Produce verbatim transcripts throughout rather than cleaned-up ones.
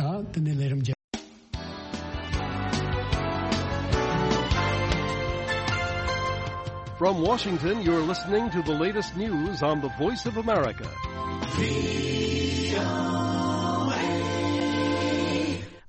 དང་དེ་ནས་ལས་རིམ་རྒྱག From Washington, you're listening to the latest news on the Voice of America.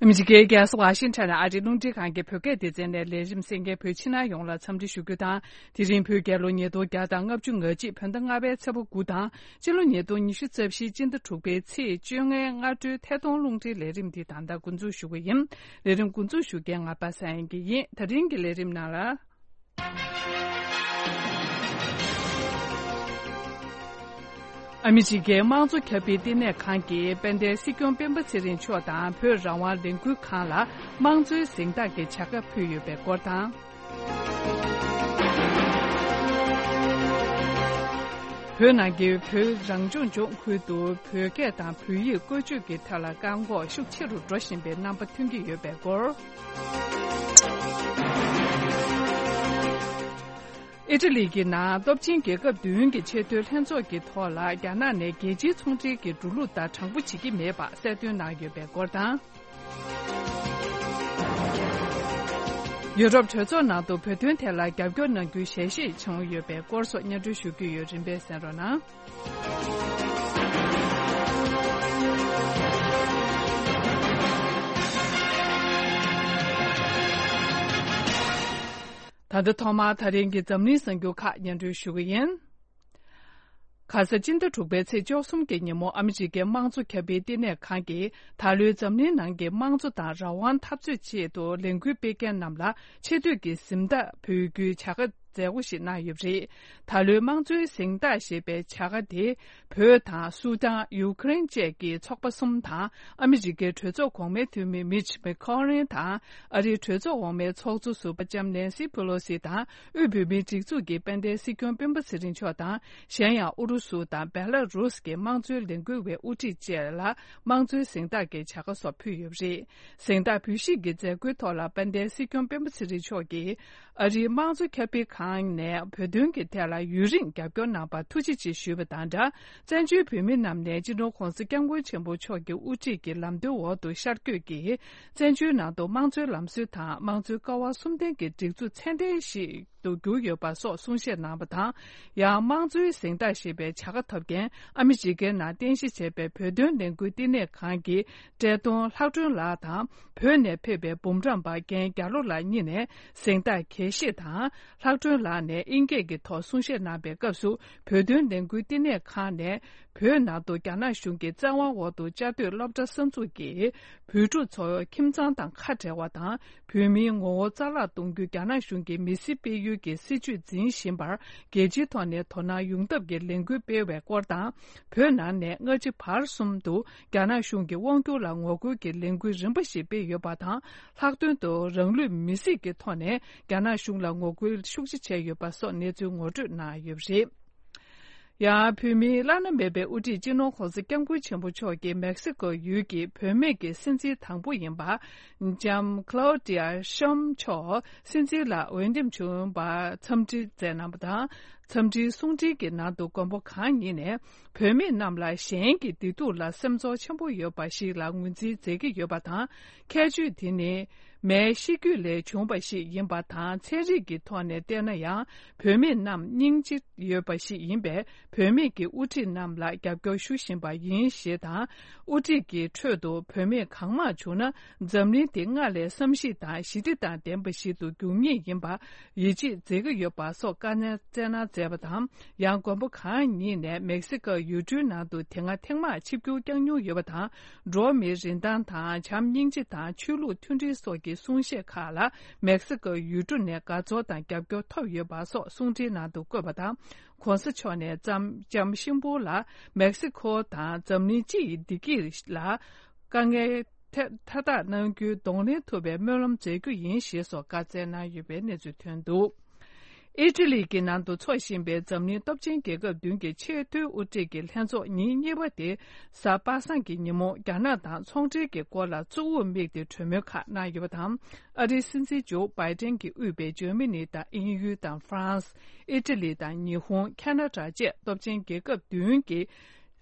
ཨ་མི་རི་ཀའི་རྒྱལ་ས་ཝ་ཤིང་ཊོན་ནས་ཨ་རིའི་རླུང་འཕྲིན་ཁང་གི་བོད་སྐད་སྡེ་ཚན་ནས་ལས་རིམ་གསན་མཁན་བོད་ཕྱི་ནང་ཡོངས་ལ་འཚམས་འདྲི་ཞུ་རྒྱུ་དང་། དེ་རིང་བོད་རྒྱལ་ལོ་ཉིས་སྟོང་བརྒྱ་དང་ལྔ་བཅུ་ང་གཅིག་བོད་ཟླ་ལྔ་པའི་ཚེས་པ་དགུ་དང་། སྤྱི་ལོ་ཉིས་སྟོང་ཉི་ཤུ་རྩ་བཞིའི་སྤྱི་ཟླ་དྲུག་པའི་ཚེས་བཅོ་ལྔའི་སྔ་དྲོའི་ཐད་གཏོང་རླུང་འཕྲིན་ལས་རིམ་འདི་ད་ལྟ་འགོ་འཛུགས་ཞུ་གི་ཡིན། ལས་རིམ་འགོ་འཛུགས་ཞུ་མཁན་ང་པ་སངས་དབྱངས་སྐྱིད་ཡིན། ད་རིང་གི་ལས་རིམ་ནང་ལ། ཨ་མི་རི་ཀའི་དམངས་གཙོ་ཁྱབ་སྤེལ་ལྟེ་གནས་ཁང་གིས་དཔལ་ལྡན་སྲིད་སྐྱོང་སྤེན་པ་ཚེ་རིང་མཆོག་དང་བོད་རང་དབང་ལས་འགུལ་ཁང་ལ་དམངས་གཙོའི་གཟེངས་རྟགས་ཀྱི་བྱ་དགའ་ཕུལ་ཡོད་པའི་སྐོར་དང་། བོད་ནང་གི་བོད་རང་སྐྱོང་ལྗོངས་ཁུལ་དུ་བོད་སྐད་དང་བོད་ཡིག་བཀོལ་སྤྱོད་ཀྱི་ཐད་ལ་བཀག་འགོག་ཤུགས་ཆེ་རུ་འགྲོ་བཞིན་པའི་རྣམ་པ་ཐོན་གྱི་ཡོད་པའི་སྐོར། ཨི་ཊ་ལི་གི་ནང་སྟོབས་ཆེན་རྒྱལ་ཁབ་བདུན་གྱི་ཆེས་མཐོའི་ལྷན་ཚོགས་ཀྱི་ཐོག་ལ་རྒྱ་ནག་ནས་རྒྱལ་སྤྱིའི་ཚོང་འབྲེལ་གྱི་འགྲོ་ལུགས་ལྟར་དྲང་པོ་བྱེད་ཀྱི་མེད་པ་གསལ་སྟོན་གནང་ཡོད་པའི་སྐོར་དང་། ཡུ་རོབ་གྲོས་ཚོགས་ནང་དུ་བོད་དོན་ཐད་ལ་རྒྱབ་སྐྱོར་གནང་རྒྱུའི་ཞལ་བཞེས་བྱུང་ཡོད་པའི་སྐོར་སོགས་སྙན་སྒྲོན་ཞུ་རྒྱུ་ཡོད། རིམ་པས་གསན་རོགས་གནང་། ད་ལྟ་ཐོག་མར་ད་རིང་གི་འཛམ་གླིང་གསར་འགྱུར་ཁག་སྙན་སྒྲོན་ཞུ་གི་ཡིན། ཁ་ས་སྤྱི་ཟླ་དྲུག་པའི་ཚེས་བཅུ་གསུམ་གྱི་ཉིན་མོ་ཨ་མི་རི་ཀའི་དམངས་གཙོ་ཁྱབ་སྤེལ་ལྟེ་གནས་ཁང་གིས་ད་ལོའི་འཛམ་གླིང་ནང་གི་དམངས་གཙོ་དང་རང་དབང་འཐབ་རྩོད་ཆེད་དུ་ལས་འགུལ་སྤེལ་མཁན་རྣམས་ལ་ཆེ་བསྟོད་ཀྱི་གཟེངས་རྟགས་ཕུལ་རྒྱུའི་བྱ་དགའ་མཛད་སྒོ་ཞིག་གནང་ཡོད་པ་རེད། ད་ལོའི་དམངས་གཙོའི་གཟེངས་རྟགས་ཞེས་པའི་བྱ་དགའ་དེ་བོད་དང་སུ་དཱན། ཡུ་ཀེ་རེན་བཅས་ཀྱི་ཚོགས་པ་གསུམ་དང་ཨ་མི་རི་ཀའི་གྲོས་ཚོགས་གོང་མའི་འཐུས་མི་མིཆ་མེ་ཁོ་ལིན་དང་། ཨ་རིའི་གྲོས་ཚོགས་འོག་མའི་ཚོགས་གཙོ་ཟུར་པ་ལྕམ་ནེན་སི་ཕེ་ལོ་སི་དང་། དབུས་བོད་མིའི་སྒྲིག་འཛུགས་ཀྱི་དཔལ་ལྡན་སྲིད་སྐྱོང་སྤེན་པ་ཚེ་རིང་མཆོག་དང་། གཞན་ཡང་ཨུ་རུ་སུ་དང་བེ་ལ་རུས་ཀྱི་དམངས་གཙོའི་ལས་འགུལ་བའི་དབུ་ཁྲིད་བཅས་ལ་དམངས་གཙོའི་གཟེངས་རྟགས་ཀྱི་བྱ་དགའ་སོགས་ཕུལ་ཡོད་པ་རེད། གཟེངས་རྟགས་འབུལ་བཞེས་ཀྱི་མཛད་སྒོའི་ཐོག་ལ་དཔལ་ལྡན་སྲིད་སྐྱོང་སྤེན་པ་ཚེ་རིང་མཆོག་གིས་ཨ་རིའི་དམངས་གཙོ་ཁྱབ་སྤེལ་ཁང་ནས་བོད་དོན་གྱི་ཐད་ལ་ཡུན་རིང་རྒྱབ་སྐྱོར་གནང་བར་ཐུགས་རྗེ་ཆེ་ཞུས་པ་དང་སྦྲགས། བཙན་བྱོལ་བོད་མི་རྣམས་ནས་སྤྱི་ནོར་༧གོང་ས་༧སྐྱབས་མགོན་ཆེན་པོ་མཆོག་གི་དབུ་ཁྲིད་ཀྱི་ལམ་སྟོན་འོག་ཏུ་ཤར་བསྐྱོད་ཀྱིས་བཙན་བྱོལ་ནང་དུ་དམངས་གཙོའི་ལམ་སྲོལ་དང་དམངས་གཙོའི་ཀ་བ་གསུམ་ལྡན་གྱི་སྒྲིག་འཛུགས་ཚད་ལྡན་ཞིག་ཏུ་གྱུར་ཡོད་པ་སོགས་གསུང་བཤད་གནང་བ་དང་། ཡང་དམངས་གཙོའི་གཟེངས་རྟགས་ཞེས་པའི་བྱ་དགའ་ཐོབ་མཁན་ཨ་མི་རི་ཀའི་ནང་རྟེན་གཞི་བྱས་པའི་བོད་དོན་ལས་འགུལ་བསྟི་གནས་ཁང་གི་བཀྲས་མཐོང་ལྷག་སྒྲོན་ལགས་དང་། བོད་ནས་ཕེབས་པའི་འབུམ་རམས་པ་རྒན་རྒྱ་ལོ་ལགས་གཉིས་ནས་གཟེངས་རྟགས་འགྲེལ་བཤད་དང་། ལྷག་སྒྲོན་ལགས་ནས་ཨིན་སྐད་ཀྱི་ཐོག་གསུང་བཤད་གནང་པའི་སྐབས་སུ། བོད་དོན་ལས་འགུལ་བསྟི་གནས་ཁང་ནས་བོད་ནང་དུ་རྒྱ་ནག་གཞུང་གི་བཙན་དབང་འོག་ཏུ་བཅའ་སྡོད་སློབ་གྲྭ་གསར་འཛུགས་ཀྱིས་བོད་ཕྲུག་ཚོ་ཁྱིམ་ཚང་དང་ཁ་བྲལ་བ་དང་། བོད་མིའི་ངོ་བོ་རྩ་བརླག་གཏོང་རྒྱུ། རྒྱ་ནག་གཞུང་གིས་མི་སེར་སྤེལ་ཡུལ་གྱི་སྲིད་བྱུས་འཛིན་བཞིན་པར་རྒྱལ་སྤྱིའི་ཐོག་ནས་དོ་སྣང་ཡོང་ཐབས་ཀྱི་ལས་འགུལ་སྤེལ་བའི་སྐོར་དང་། བོད་ནང་ནས་སྔ་ཕྱི་བར་གསུམ་དུ་རྒྱ་ནག་གཞུང་གི་དབང་སྒྱུར་ལ་ངོ་རྒོལ་གྱི་ལས་འགུལ་རིམ་པ་ཞིག་སྤེལ་ཡོད་པ་དང་། ལྷག་དོན་དུ་རང་ལུས་མེར་སྲེག་གི་ཐོག་ནས་རྒྱ་ནག་གཞུང་ལ་ངོ་རྒོལ་ཤུགས་ཆེ་བྱས་ཡོད་པ་སོགས་གནས་ཚུལ་ངོ་སྤྲོད་གནང་ཡོད་པ་རེད། ཡང་བོད་མིའི་བླ་ན་མེད་པའི་དབུ་ཁྲིད་སྤྱི་ནོར་༧གོང་ས་༧སྐྱབས་མགོན་ཆེན་པོ་མཆོག་གིས་མེག་སི་ཀོ་ཡུལ་གྱི་བུད་མེད་ཀྱི་སྲིད་འཛིན་དང་པོ་ཡིན་པ། ལྕམ་Claudia Sheinbaum མཆོག་སྲིད་འཛིན་ལ་འོས་འདེམས་བྱུང་བར་འཚམས་འདྲི་མཛད་གནང་བ་དང་། འཚམས་འདྲིའི་གསུང་འཕྲིན་གྱི་ནང་དུ་མགོན་པོ་གང་ཉིད་ནས་བུད་མེད་རྣམས་ལ་གཞན་གྱི་བདེ་སྡུག་ལ་སེམས་ཚོར་ཆེན་པོ་ཡོད་པ་ཞིག་ལ་ངོས་འཛིན་མཛད་ཀྱི་ཡོད་པ་དང་། ཁྱད་ཆོས་དེ་ནི་མའི་ཤེས་རྒྱུད་ལས་བྱུང་བ་ཞིག་ཡིན་པ་དང་། ཚན་རིག་གི་ཐོག་ནས་བལྟས་ན་ཡང་བུད་མེད་རྣམས་སྙིང་རྗེ་ཡོད་པ་ཞིག་ཡིན་པས། བུད་མེད་ཀྱི་དབུ་ཁྲིད་རྣམས་ལ་རྒྱབ་སྐྱོར་ཞུ་བཞིན་པ་ཡིན་ཞེས་དང་། དབུ་ཁྲིད་ཀྱི་ཁྲོད་དུ་བུད་མེད་གང་མང་བྱུང་ན། འཛམ་གླིང་འདི་སྔར་ལས་བསམ་ཤེས་དང་ཞི་བདེ་དང་ལྡན་པ་ཞིག་ཏུ་འགྱུར་ངེས་ཡིན་པར་ཡིད་ཆེས་མཛད་ཀྱི་ཡོད་པ་སོགས་བཀའ་སྩལ་གནང་མཛད་པ་དང་། ཡང་མགོན་པོ་གང་ཉིད་ནས་མེག་སི་ཀོ་ཡུལ་གྲུའི་ནང་དུ་དེ་སྔ་ཐེངས་མང་ཆིབས་བསྒྱུར་བསྐྱངས་མྱོང་ཡོད་པ་དང་། འགྲོ་བ་མིའི་རིན་ཐང་དང་བྱམས་སྙིང་རྗེ་དང་ཆོས་ལུགས་མཐུན་སྒྲིལ་སོགས་ཀྱི་གསུང་བཤད་ཁག་ལ་མེག་སི་ཀོ་ཡུལ་གྲུ་ནས་དགའ་ཚོར་དང་རྒྱབ་སྐྱོར་ཐོབ་ཡོད་པ་སོགས་གསུང་འཕྲིན་ནང་དུ་བཀོད་པ་དང་། ྋགོང་ས་མཆོག་ནས་ལྕམ་ལྕམ་ཤིན་པོ་ལ་མེག་སི་ཀོ་དང་འཛམ་གླིང་སྤྱི་ཡི་བདེ་སྐྱིད་ལ་དཀའ་ངལ་ཐེ་མཐའ་དག་གནང་རྒྱུའི་གདོང་ལེན་ཐུབ་པའི་སྨོན་ལམ་མཛད་རྒྱུ་ཡིན་ཞེས་སོགས་བཀའ་སྩལ་གནང་ཡོད་པའི་གནས་ཚུལ་ཐོན་འདུག་ཨི་ཊ་ལི་གི་ནང་དུ་འཚོགས་བཞིན་པའི་འཛམ་གླིང་སྟོབས་ཆེན་རྒྱལ་ཁབ་བདུན་གྱི་ཆེས་མཐོའི་དབུ་ཁྲིད་ཀྱི་ལྷན་ཚོགས་ཉིན་གཉིས་པ་དེ་གཟའ་པ་སངས་ཀྱི་ཉིན་མོ་རྒྱ་ནག་དང་ཚོང་འབྲེལ་གྱི་སྐོར་ལ་གཙོ་བོར་དམིགས་ཏེ་གྲོས་མོལ་ཁག་གནང་ཡོད་པ་དང་། ཨ་རིའི་སྲིད་འཛིན་ཇོ་བྷའི་ཏན་གྱིས་དབུས་པའི་འཇར་མ་ནི་དང་དབྱིན་ཡུལ་དང་ཧྥ་རན་སི། ཨི་ཊ་ལི་དང་ཉི་ཧོང་། ཁ་ན་ཌ་བཅས་སྟོབས་ཆེན་རྒྱལ་ཁབ་བདུན་གྱི་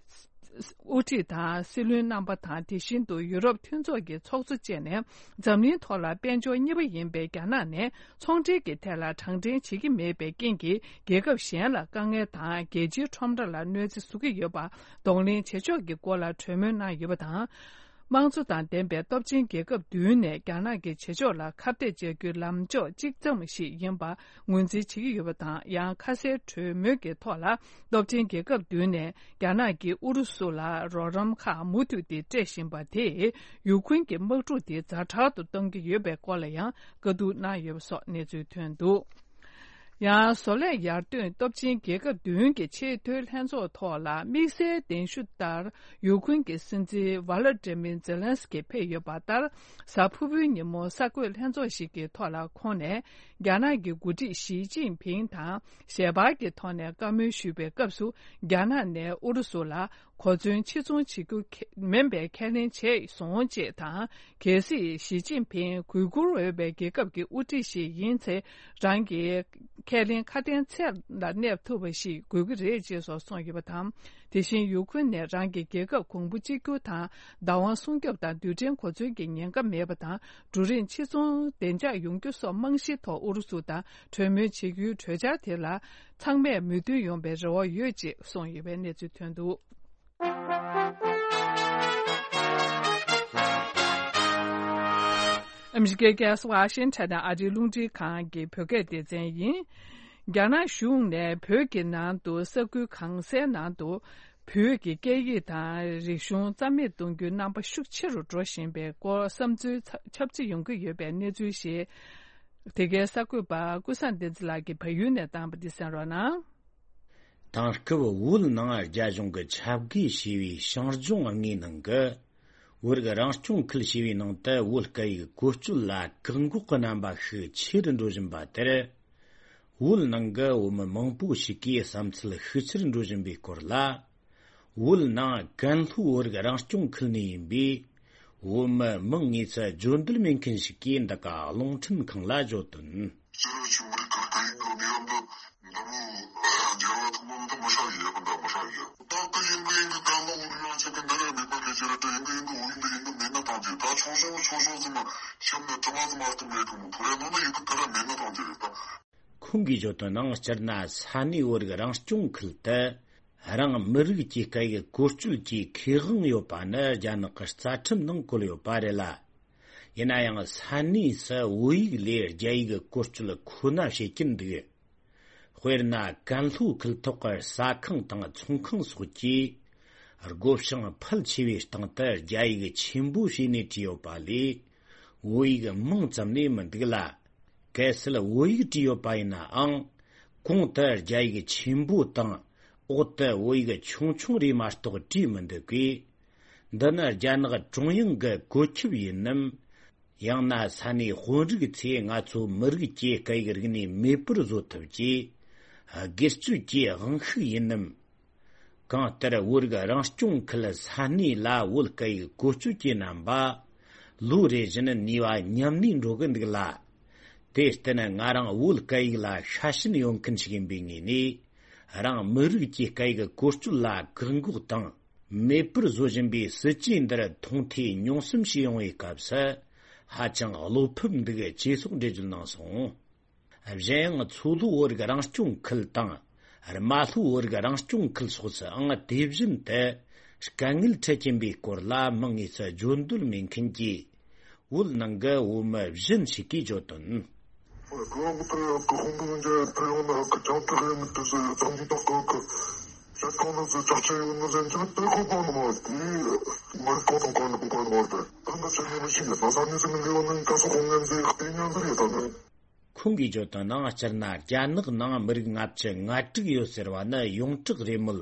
དབུ་ཁྲིད་དང་སྲིད་བློན་རྣམ་པ་དང་། དེ་བཞིན་དུ་ཡུ་རོབ་མཐུན་ཚོགས་ཀྱི་ཚོགས་གཙོ་བཅས་ནས་འཛམ་གླིང་ཐོག་ལ་དཔལ་འབྱོར་གཉིས་པ་ཡིན་པའི་རྒྱ་ནག་ནས་ཚོང་འབྲེལ་གྱི་ཐད་ལ་དྲང་འཕྲིན་བྱེད་ཀྱི་མེད་པའི་རྐྱེན་གྱིས། རྒྱལ་ཁབ་གཞན་ལ་དཀའ་ངལ་དང་རྒྱལ་སྤྱིའི་ཁྲོམ་ར་ལ་གནོད་འཚེ་བཟོ་གི་ཡོད་པ་གདོང་ལེན་བྱེད་ཕྱོགས་ཀྱི་སྐོར་ལ་གྲོས་མོལ་གནང་ཡོད་པ་དང་། དམངས་གཙོ་དང་ལྡན་པའི་སྟོབས་ཆེན་རྒྱལ་ཁབ་བདུན་ནས་རྒྱ་ནག་གི་བྱེད་ཕྱོགས་ལ་ཁ་གཏད་བཅག་རྒྱུའི་ལམ་ཕྱོགས་གཅིག་ཙམ་ཞིག་ཡིན་པ་ངོས་འཛིན་བྱེད་ཀྱི་ཡོད་པ་དང་། ཡང་ཁ་གསལ་གྲོས་མོལ་གྱི་ཐོག་ལ་སྟོབས་ཆེན་རྒྱལ་ཁབ་བདུན་ནས་རྒྱ་ནག་གིས་ཨུ་རུ་སུ་ལ་རོགས་རམ་ཁག་མུ་མཐུད་དེ་སྤྲད་བཞིན་པ་དེས་ཡུ་ཁུན་གྱི་དམག་འཁྲུག་དེ་ཛ་དྲག་ཏུ་གཏོང་གི་ཡོད་པའི་སྐོར་ལ་ཡང་བཀའ་བསྡུར་གནང་ཡོད་པ་སོགས་གནས་ཚུལ་ཐོན་འདུག་ཡང་བཟོ་ལས་ཡར་ཐོན་སྟོབས་ཆེན་རྒྱལ་ཁབ་བདུན་གྱི་ཆེས་མཐོའི་ལྷན་ཚོགས་ཐོག་ལ་དམིགས་བསལ་གདན་ཞུ་ལྟར་ཡུ་ཁུན་གྱི་སྲིད་འཛིན་ཝ་ལ་ཏྲེ་མིར་ཛེ་ལན་སི་ཀི་ཕེབས་ཡོད་པ་ལྟར། གཟའ་ཕུར་བུའི་ཉིན་མོ་གསར་འགོད་ལྷན་ཚོགས་ཤིག་གི་ཐོག་ལ་ཁོང་ནས་རྒྱ་ནག་གི་འགོ་ཁྲིད་ཞི་ཅིན་ཕིང་དང་ཞལ་པར་གྱི་ཐོག་ནས་བཀའ་མོལ་ཞུས་པའི་སྐབས་སུ། རྒྱ་ནག་ནས་ཨུ་རུ་སུ་ལ་གོ་མཚོན་ཕྱིར་ཚོང་བྱེད་རྒྱུ་མིན་པའི་ཁས་ལེན་བྱས་སོང་ཅེས་དང་། གལ་སྲིད་ཞི་ཅིན་ཕིང་གུས་བཀུར་འོས་པའི་རྒྱལ་ཁབ་ཀྱི་དབུ་ཁྲིད་ཞིག་ཡིན་ཚེ། རང་གི་ཁས་ལེན་ཁ་དན་ཚད་ལ་གནས་ཐུབ་པ་ཞིག་དགོས་ཀྱི་རེད་ཅེས་སོགས་གསུངས་ཡོད་པ་དང་། དེ་བཞིན་ཡུ་ཁུན་ནས་རང་གི་རྒྱལ་ཁབ་གོང་བུ་གཅིག་གྱུར་དང་བདག་དབང་སྲུང་སྐྱོབ་དང་རྡུལ་ཕྲན་གོ་མཚོན་གྱི་ཉེན་ཁ་མེད་པ་དང་འབྲུ་རིགས་ཕྱིར་ཚོང་བདེ་འཇགས་ཡོང་རྒྱུ་སོགས་རྨང་གཞིའི་ཐོག་ཨུ་རུ་སུ་དང་གྲོས་མོལ་བྱེད་རྒྱུའི་གྲོས་འཆར་དེ་ལ་ཚང་མས་མོས་མཐུན་ཡོང་བའི་རེ་བ་ཡོད་ཅེས་གསུངས་ཡོད་པའི་གནས་ཚུལ་ཐོན་འདུག་ཨ་མི་རི་ཀའི་རྒྱལ་ས་ཝ་ཤིང་ཊོན་ནས་ཨ་རིའི་རླུང་འཕྲིན་ཁང་གི་བོད་སྐད་སྡེ་ཚན་ཡིན། རྒྱ་ནག་གཞུང་ནས་བོད་ཀྱི་ནང་དུ་ས་ཁུལ་གང་སའི་ནང་དུ་བོད་ཀྱི་སྐད་ཡིག་དང་རིག་གཞུང་རྩ་མེད་གཏོང་རྒྱུའི་རྣམ་པ་ཤུགས་ཆེ་རུ་འགྲོ་བཞིན་པའི་སྐོར་བསམ་ཚུལ་ཚ་ཁྱབ་ཆེ་ཡོང་གི་ཡོད་པའི་གནས་ཚུལ་ཞིག་དེ་གའི་གསར་འགོད་པ་ཀུན་བཟང་བསྟན་འཛིན་ལགས་ཀྱིས་བལ་ཡུལ་ནས་བཏང་བ་འདི་གསན་རོགས་གནང་། དེང་སྐབས་བོད་ནང་རྒྱ་གཞུང་གིས་ཁྱབ་བགོས་བྱས་པའི་ཞིང་ལྗོངས་ལྔའི་ནང་གི་བོད་རིགས་རང་སྐྱོང་ཁུལ་ཞེས་པའི་ནང་དུ་བོད་སྐད་ཡིག་བཀོལ་སྤྱོད་ལ་བཀག་འགོག་གི་རྣམ་པ་ཤུགས་ཆེ་རུ་འགྲོ་བཞིན་པ་དེར། བོད་ནང་གི་བོད་མི་མང་པོ་ཞིག་གིས་བསམ་ཚུལ་ཤུགས་ཆེར་འགྲོ་བཞིན་པའི་སྐོར་ལ། བོད་ནང་ཀན་ལྷོའི་བོད་རིགས་རང་སྐྱོང་ཁུལ་ནས་ཡིན་པའི་བོད་མི་མིང་དངོས་སུ་བརྗོད་འདོད་མེད་མཁན་ཞིག་གིས་འདི་ག་རླུང་འཕྲིན་ཁང་ལ་བརྗོད་དོན། སྤྱིར་བོད་ཀྱི་བོད་རིགས་ཁག་གི་ཡིན་ནོ་ནི་ཡོད་འདི་འདི་མོ་རྒྱལ་བ་ཐོག་མ་མི་འདི་མི་ཧྲ་གི་ཡོད་གི་འདི་མི་ཧྲ་གི་ཡོད། ད་ཀི་ཡིན་གི་ཡིན་གི་ཀན་ལྷོ་བོད་རིགས་ཡང་ཆེ་གི་འདི་ར་མེད་པ་གི་ཅི་ར་ད་ཡིན་གི་ཡིན་གི་བོད་ཡིན་འདི་ཡིན་གི་མེད་ན་ཐང་གི་ད་ཆུང་ཆུང་ཆུང་ཆུང་ཟིན་ན་ཤམ་ནས་དྲི་མ་ཟིན་མ་སྟོན་མེད་གི་མོ་བོད་ར་ནང་ན་ཡིན་གི་ཀི་ར་མེད་ན་ཐང་གི་རེད་ད། ཁོང་གིས་བརྗོད་དོན་ནང་སྤྱིར་ན་ས་གནས་བོད་རིགས་རང་སྐྱོང་ཁུལ་དུ་རང་མི་རིགས་ཀྱི་སྐད་ཡིག་བཀོལ་སྤྱོད་ཀྱི་ཁེ་དབང་ཡོད་པ་ནི་རྒྱ་ནག་གི་རྩ་ཁྲིམས་ནང་བཀོད་ཡོད་པ་རེད་ལ། ཡིན་ན་ཡང་ས་གནས་སུ་བོད་ཡིག་ལས་རྒྱ་ཡིག་བཀོལ་སྤྱོད་ཁོ་ན་བྱེད་ཀྱིན་འདུག་དཔེར་ན་ཀན་ལྷོ་ཁུལ་ཐོག་གི་ཟ་ཁང་དང་ཚོང་ཁང་སོགས་ཀྱིས་སྒོ་བྱང་ཕལ་ཆེ་བའི་སྟེང་དུ་རྒྱ་ཡིག་ཆེན་པོ་བྱས་ནས་བྲིས་ཡོད་པ་ལས་བོད་ཡིག་མིང་ཙམ་ལས་མི་འདུག་ལ། གལ་སྲིད་བོད་ཡིག་བྲིས་ཡོད་པ་ཡིན་ནའང་གོང་དུ་རྒྱ་ཡིག་ཆེན་པོ་དང་འོག་ཏུ་བོད་ཡིག་ཆུང་ཆུང་རེ་མ་གཏོགས་བྲིས་མི་འདུག་གས། འདི་ནི་རྒྱ་ནག་ཀྲུང་དབྱང་གི་བཀོད་ཁྱབ་ཡིན་ནམ། ཡང་ན་ས་གནས་དཔོན་རིགས་ཚོས་ང་ཚོ་མི་རིགས་ཀྱི་སྐད་ཡིག་རིག་གནས་མེད་པར་བཟོ་ཐབས་ཀྱི་སྒེར་གཅོད་ཀྱི་དབང་ཤུགས་ཡིན་ནམ། གང་ལྟར་བོད་རིགས་རང་སྐྱོང་ཁུལ་ས་གནས་ལ་བོད་སྐད་ཡིག་བཀོལ་སྤྱོད་ཀྱི་རྣམ་པ་ལོ་རེ་བཞིན་ནུས་པ་ཉམས་ནས་འགྲོ་གི་འདུག་ལ། དེར་བརྟེན་ང་རང་བོད་སྐད་ཡིག་ལ་ཤ་ཞེན་ཡོད་མཁན་ཞིག་ཡིན་པའི་ངོས་ནས། རང་མི་རིགས་ཀྱི་སྐད་ཡིག་བཀོལ་སྤྱོད་ལ་བཀག་འགོག་དང་མེད་པར་བཟོ་བཞིན་པའི་སྲིད་ཇུས་འདིར་མཐོང་ཐོས་མྱོང་གསུམ་བྱས་ཡོང་བའི་སྐབས་སུ་ཧ་ཅང་བློ་ཕམ་འདུག་ཅེས་སོགས་འགྲེལ་བརྗོད་གནང་སོང་། གཞན་ཡང་མཚོ་ལྷོ་བོད་རིགས་རང་སྐྱོང་ཁུལ་དང་རྨ་ལྷོ་བོད་རིགས་རང་སྐྱོང་ཁུལ་སོགས་སུའང་དེ་བཞིན་དུ་དཀའ་ངལ་འཕྲད་ཀྱིན་པའི་སྐོར་ལ་མིང་དངོས་སུ་བརྗོད་འདོད་མེད་མཁན་གྱི་བོད་ནང་གི་བོད་མི་གཞན་ཞིག་གིས་བརྗོད་དོན། ཁོང་གིས་བརྗོད་དོན་ནང་སྤྱིར་ན་རྒྱ་ནག་ནང་མི་རིགས་ལྔ་བཅུ་ང་དྲུག་ཡོད་ཟེར་བ་ནི་ཡོངས་གྲགས་རེད་མོད།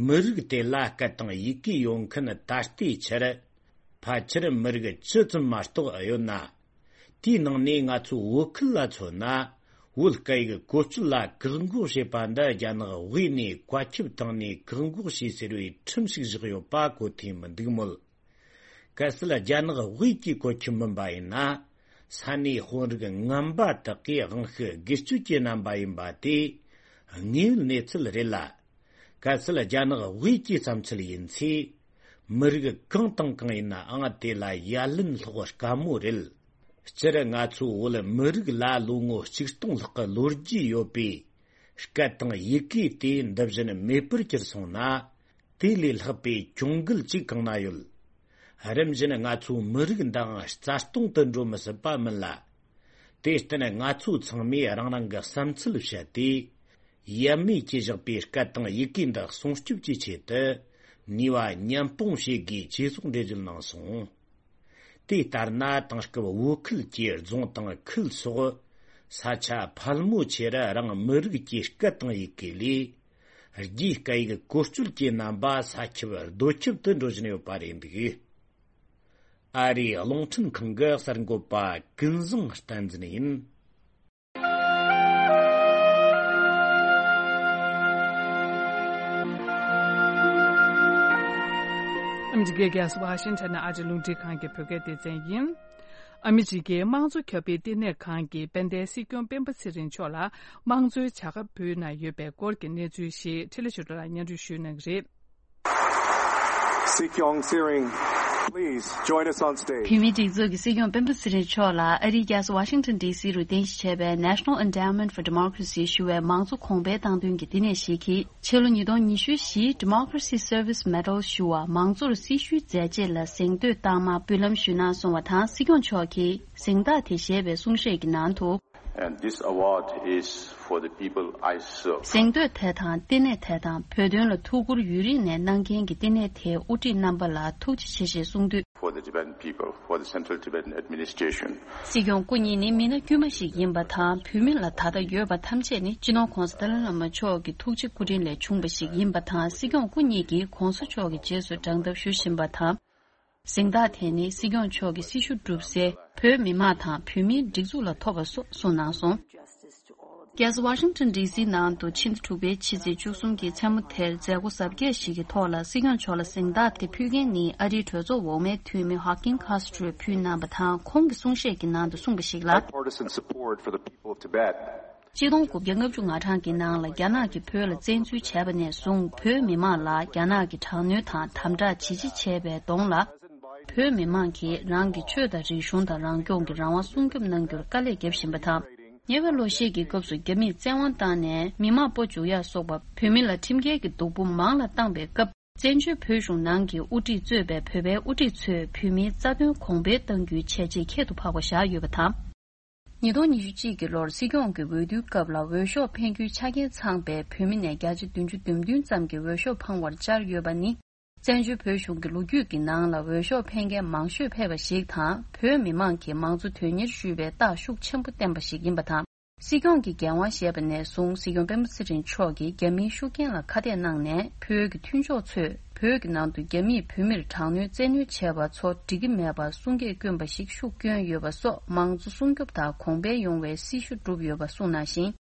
མི་རིགས་དེ་ལ་སྐད་དང་ཡི་གེ་ཡོད་མཁན་ད་ལྟའི་ཆར་ཕལ་ཆེར་མི་རིགས་བཅུ་ཙམ་མ་གཏོགས་ཡོད་ན། དེའི་ནང་ནས་ང་ཚོ་བོད་ཁུལ་ལ་མཚོན་ན་བོད་སྐད་ཡིག་བཀོལ་སྤྱོད་ལ་བཀག་འགོག་བྱེད་པ་འདི་རྒྱ་ནག་དབུས་ནས་བཀའ་ཁྱབ་བཏང་ནས་བཀག་འགོག་བྱས་ཟེར་བའི་ཁྲིམས་ཤིག་བཞག་ཡོད་པ་གོ་ཐོས་མི་འདུག་མོད། གལ་སྲིད་རྒྱ་ནག་དབུས་ཀྱི་བཀོད་ཁྱབ་མིན་པ་ཡིན་ན། ས་གནས་དཔོན་རིགས་ངན་པ་དག་གིས་དབང་ཤུགས་སྒེར་གཅོད་ཀྱི་རྣམ་པ་ཡིན་པ་དེ་དངོས་ཡོད་གནས་ཚུལ་རེད་ལ། གལ་སྲིད་རྒྱ་ནག་དབུས་ཀྱི་བསམ་ཚུལ་ཡིན་ཚེ། མི་རིགས་གང་དང་གང་ཡིན་ནའང་དེ་ལ་ཡ་ལན་སློག་དཀའ་མོ་རེད། སྤྱིར་ང་ཚོའི་བོད་མི་རིགས་ལ་ལོ་ངོ་གཅིག་སྟོང་ལྷག་གི་ལོ་རྒྱུས་ཡོད་པའི་སྐད་དང་ཡི་གེ་དེ་འདི་བཞིན་མེད་པར་གྱུར་སོང་ན། དེ་ལས་ལྷག་པའི་གྱོང་གུད་ཅིག་གང་ན་ཡོད། རིམ་བཞིན་ང་ཚོའི་མི་རིགས་འདིའང་རྩ་སྟོང་དུ་འགྲོ་མི་སྲིད་པ་མིན་ལ། དེར་བརྟེན་ང་ཚོ་ཚང་མས་རང་རང་གི་བསམ་ཚུལ་བཤད་དེ། ཡབ་མེས་ཀྱིས་བཞག་པའི་སྐད་དང་ཡི་གེ་འདི་སྲུང་སྐྱོབ་ཀྱི་ཆེད་དུ་ནུས་པ་མཉམ་སྤུངས་བྱེད་དགོས་ཅེས་སོགས་འགྲེལ་བརྗོད་གནང་སོང་། དེ་ལྟར་ན་དེང་སྐབས་བོད་ཁུལ་གྱི་རྫོང་དང་ཁུལ་སོགས་ས་ཆ་ཕལ་མོ་ཆེར་རང་མི་རིགས་ཀྱི་སྐད་དང་ཡི་གེ་ལས། རྒྱའི་སྐད་ཡིག་བཀོལ་སྤྱོད་ཀྱི་རྣམ་པ་ས་ཁྱབ་རྡོ་ཁྱབ་ཏུ་འགྲོ་བཞིན་ཡོད་པ་རེད་འདུག་ཨ་རིའི་རླུང་འཕྲིན་ཁང་གི་གསར་འགོད་པ་ཀུན་བཟང་བསྟན་འཛིན་ཡིན། ཨ་མི་རི་ཀའི་རྒྱལ་ས་ཝ་ཤིང་ཊོན་ནས་ཨ་རིའི་རླུང་འཕྲིན་ཁང་གི་བོད་སྐད་སྡེ་ཚན་ཡིན། ཨ་མི་རི་ཀའི་དམངས་གཙོ་ཁྱབ་སྤེལ་བསྟི་གནས་ཁང་གིས་དཔལ་ལྡན་སྲིད་སྐྱོང་སྤེན་པ་ཚེ་རིང་མཆོག་ལ་དམངས་གཙོའི་བྱ་དགའ་ཕུལ་གནང་ཡོད་པའི་སྐོར་གྱི་གནས་ཚུལ་ཞིག་འཕྲིན་ལས་ཆོས་སྒྲོན་ལགས་སྙན་སྒྲོན་ཞུ་གནང་གི་རེད། Sik Yong Tsering, please join us on stage. བོད་མིའི་སྒྲིག་འཛུགས་ཀྱི་སྲིད་སྐྱོང་སྤེན་པ་ཚེ་རིང་མཆོག་ལ་ཨ་རིའི་རྒྱལ་ས་ཝ་ཤིང་ཊོན་ཌི་སི་རུ་རྟེན་གཞི་བྱས་པའི་National Endowment for Democracy ཞུ་བའི་མང་གཙོ་གོང་འཕེལ་བཏང་དོན་གྱི་བསྟི་གནས་ཤིག་གིས་ཕྱི་ལོ་ཉིས་སྟོང་ཉི་ཤུ་བཞིའི་Democracy Service Medal ཞུ་བ་མང་གཙོར་སྲི་ཞུའི་མཛད་རྗེས་ལ་གཟེངས་བསྟོད་གཏའ་མ་འབུལ་ལམ་ཞུས་གནང་སོང་བ་དང་། སྲིད་སྐྱོང་མཆོག་གིས་གཟེངས་རྟགས་དེ་བཞེས་པའི་གསུང་བཤད་ཀྱི་ནང་དུ། And this award is for the people I serve. གཟེངས་བསྟོད་དེ་དང་བསྟི་གནས་དེ་དང་བོད་དོན་ལ་ཐུགས་ཁུར་ཡུན་རིང་ནས་གནང་མཁན་གྱི་བསྟི་གནས་དེའི་དབུ་ཁྲིད་རྣམ་པ་ལ་ཐུགས་རྗེ་ཆེ་ཞེས་གསུངས་དུས། For the Tibetan people, for the Central Tibetan Administration. སྲིད་སྐྱོང་སྐུ་ཉིད་ནི་མི་སྣ་དཀྱུས་མ་ཞིག་ཡིན་པ་དང་། བོད་མི་ལ་ད་ལྟ་ཡོད་པ་ཐམས་ཅད་ནི་སྤྱི་ནོར་༧གོང་ས་ཏཱ་ལའི་བླ་མ་མཆོག་གི་ཐུགས་རྗེ་སྐུ་དྲིན་ལས་བྱུང་བ་ཞིག་ཡིན་པ་དང་། སྲིད་སྐྱོང་སྐུ་ཉིད་ཀྱིས་༧གོང་ས་མཆོག་གི་རྗེས་སུ་འབྲངས་ཐབས་ཞུ་བཞིན་པ་དང་། གཟེངས་རྟགས་དེ་ནི་སྲིད་སྐྱོང་མཆོག་གི་སྲི་ཞུ་བསྒྲུབས་སའི་བོད་མི་མང་དང་བོད་མིའི་སྒྲིག་འཛུགས་ལ་ཐོབ་པ་སོགས་གསུངས་གནང་སོང་། རྒྱལ་ས་ཝ་ཤིང་ཊོན་ཌི་སི་ནང་དུ་ཕྱི་ཟླ་དྲུག་པའི་ཕྱི་ཚེས་བཅུ་གསུམ་གྱི་མཚན་མོ་དེར་མཛད་སྒོ་གཟབ་རྒྱས་ཤིག་གི་ཐོག་ལ་སྲིད་སྐྱོང་མཆོག་ལ་གཟེངས་རྟགས་དེ་ཕུལ་མཁན་ནི་ཨ་རིའི་གྲོས་ཚོགས་འོག་མའི་འཐུས་མི་ཧོ་ཀིན་ཁ་སི་ཏྲོས་ཕུལ་གནང་བ་དང་། ཁོང་གི་གསུང་བཤད་ཀྱི་ནང་དུ་གསུངས་པ་ཞིག་ལ། Bipartisan support for the people of Tibet. ཆིག་སྟོང་དགུ་བརྒྱ་ལྔ་བཅུ་ང་གྲངས་ཀྱི་ནང་ལ་རྒྱ་ནག་གིས་བོད་ལ་བཙན་འཛུལ་བྱས་པ་ནས་བཟུང་། བོད་མི་མང་ལ་རྒྱ་ནག་གིས་དྲག་གནོན་དང་དམ་དྲག་ཇི་ཆེ་བྱས་པའི་གདོང་ལ། བོད་མི་མང་གིས་རང་གི་ཆོས་དང་རིག་གཞུང་དང་རང་སྐྱོང་གི་རང་དབང་སྲུང་སྐྱོབ་གནང་རྒྱུར་དཀའ་ལས་བརྒྱབ་བཞིན་པ་དང་། ཉེ་བའི་ལོ་ཤས་ཀྱི་སྐབས་སུ་རྒྱ་མིས་བཙན་དབང་བཏང་ནས་མི་མང་སྤོ་འཇུག་ཡག་སོགས་པ་བོད་མི་ལ་ཁྲིམས་འགལ་གྱི་སྡུག་པོ་མང་ལ་བཏང་པའི་སྐབས། བཙན་བྱོལ་བོད་གཞུང་ནང་གི་དབུ་ཁྲིད་གཙོས་པའི་བོད་པའི་དབུ་ཁྲིད་ཚོས་བོད་མིའི་རྩ་དོན་གོང་འཕེལ་གཏང་རྒྱུའི་བྱས་རྗེས་ཁྱད་དུ་འཕགས་པ་བཞག་ཡོད་པ་དང་། ཉིས་སྟོང་ཉི་ཤུ་གཅིག་གི་ལོར་སྲིད་སྐྱོང་གི་འོས་བསྡུའི་སྐབས་ལ་འོས་ཤོག་འཕེན་རྒྱུའི་ཆ་རྐྱེན་ཚང་པའི་བོད་མི་ནས་བརྒྱ་ཆ་བདུན་ཅུ་དོན་བདུན་ཙམ་གྱིས་འོས་ཤོག་འཕངས་པར་བཅར་ཡོད་པ་ནི། བཙན་བྱོལ་བོད་གཞུང་གི་ལོ་རྒྱུས་ཀྱི་ནང་ལ་འོས་ཤོག་འཕེན་མཁན་མང་ཤོས་ཕེབས་པ་ཞིག་དང་། བོད་མི་མང་གིས་མང་གཙོ་དོན་གཉེར་ཞུས་པའི་རྟགས་ཤུགས་ཆེན་པོ་བསྟན་པ་ཞིག་ཡིན་པ་དང་། སྲིད་སྐྱོང་གི་འགན་དབང་བཞེས་པ་ནས་བཟུང་། སྲིད་སྐྱོང་སྤེན་པ་ཚེ་རིང་མཆོག་གིས་རྒྱ་མིའི་ཤུགས་རྐྱེན་ལ་ཁ་གཏད་གནང་ནས། བོད་ཀྱི་མཐུན་ཕྱོགས་ཚོས་བོད་ཀྱི་ནང་དུ་རྒྱ་མིས་བོད་མིར་དྲག་གནོན་བཙན་གནོན་བྱས་པ་ཚོ་འགྲིག་གི་མེད་པར་གསུང་སྐད་བསྐྱོན་པ་ཞིག་ཤུགས་བསྐྱོན་ཡོད་པ་སོགས། མང་གཙོ་སྲུང་སྐྱོབ་དང་གོང་འཕེལ་ཡོང་བའི་སྲི་ཞུ་བསྒྲུབས་ཡོད་པ་གསུངས་གནང་ཞིང་།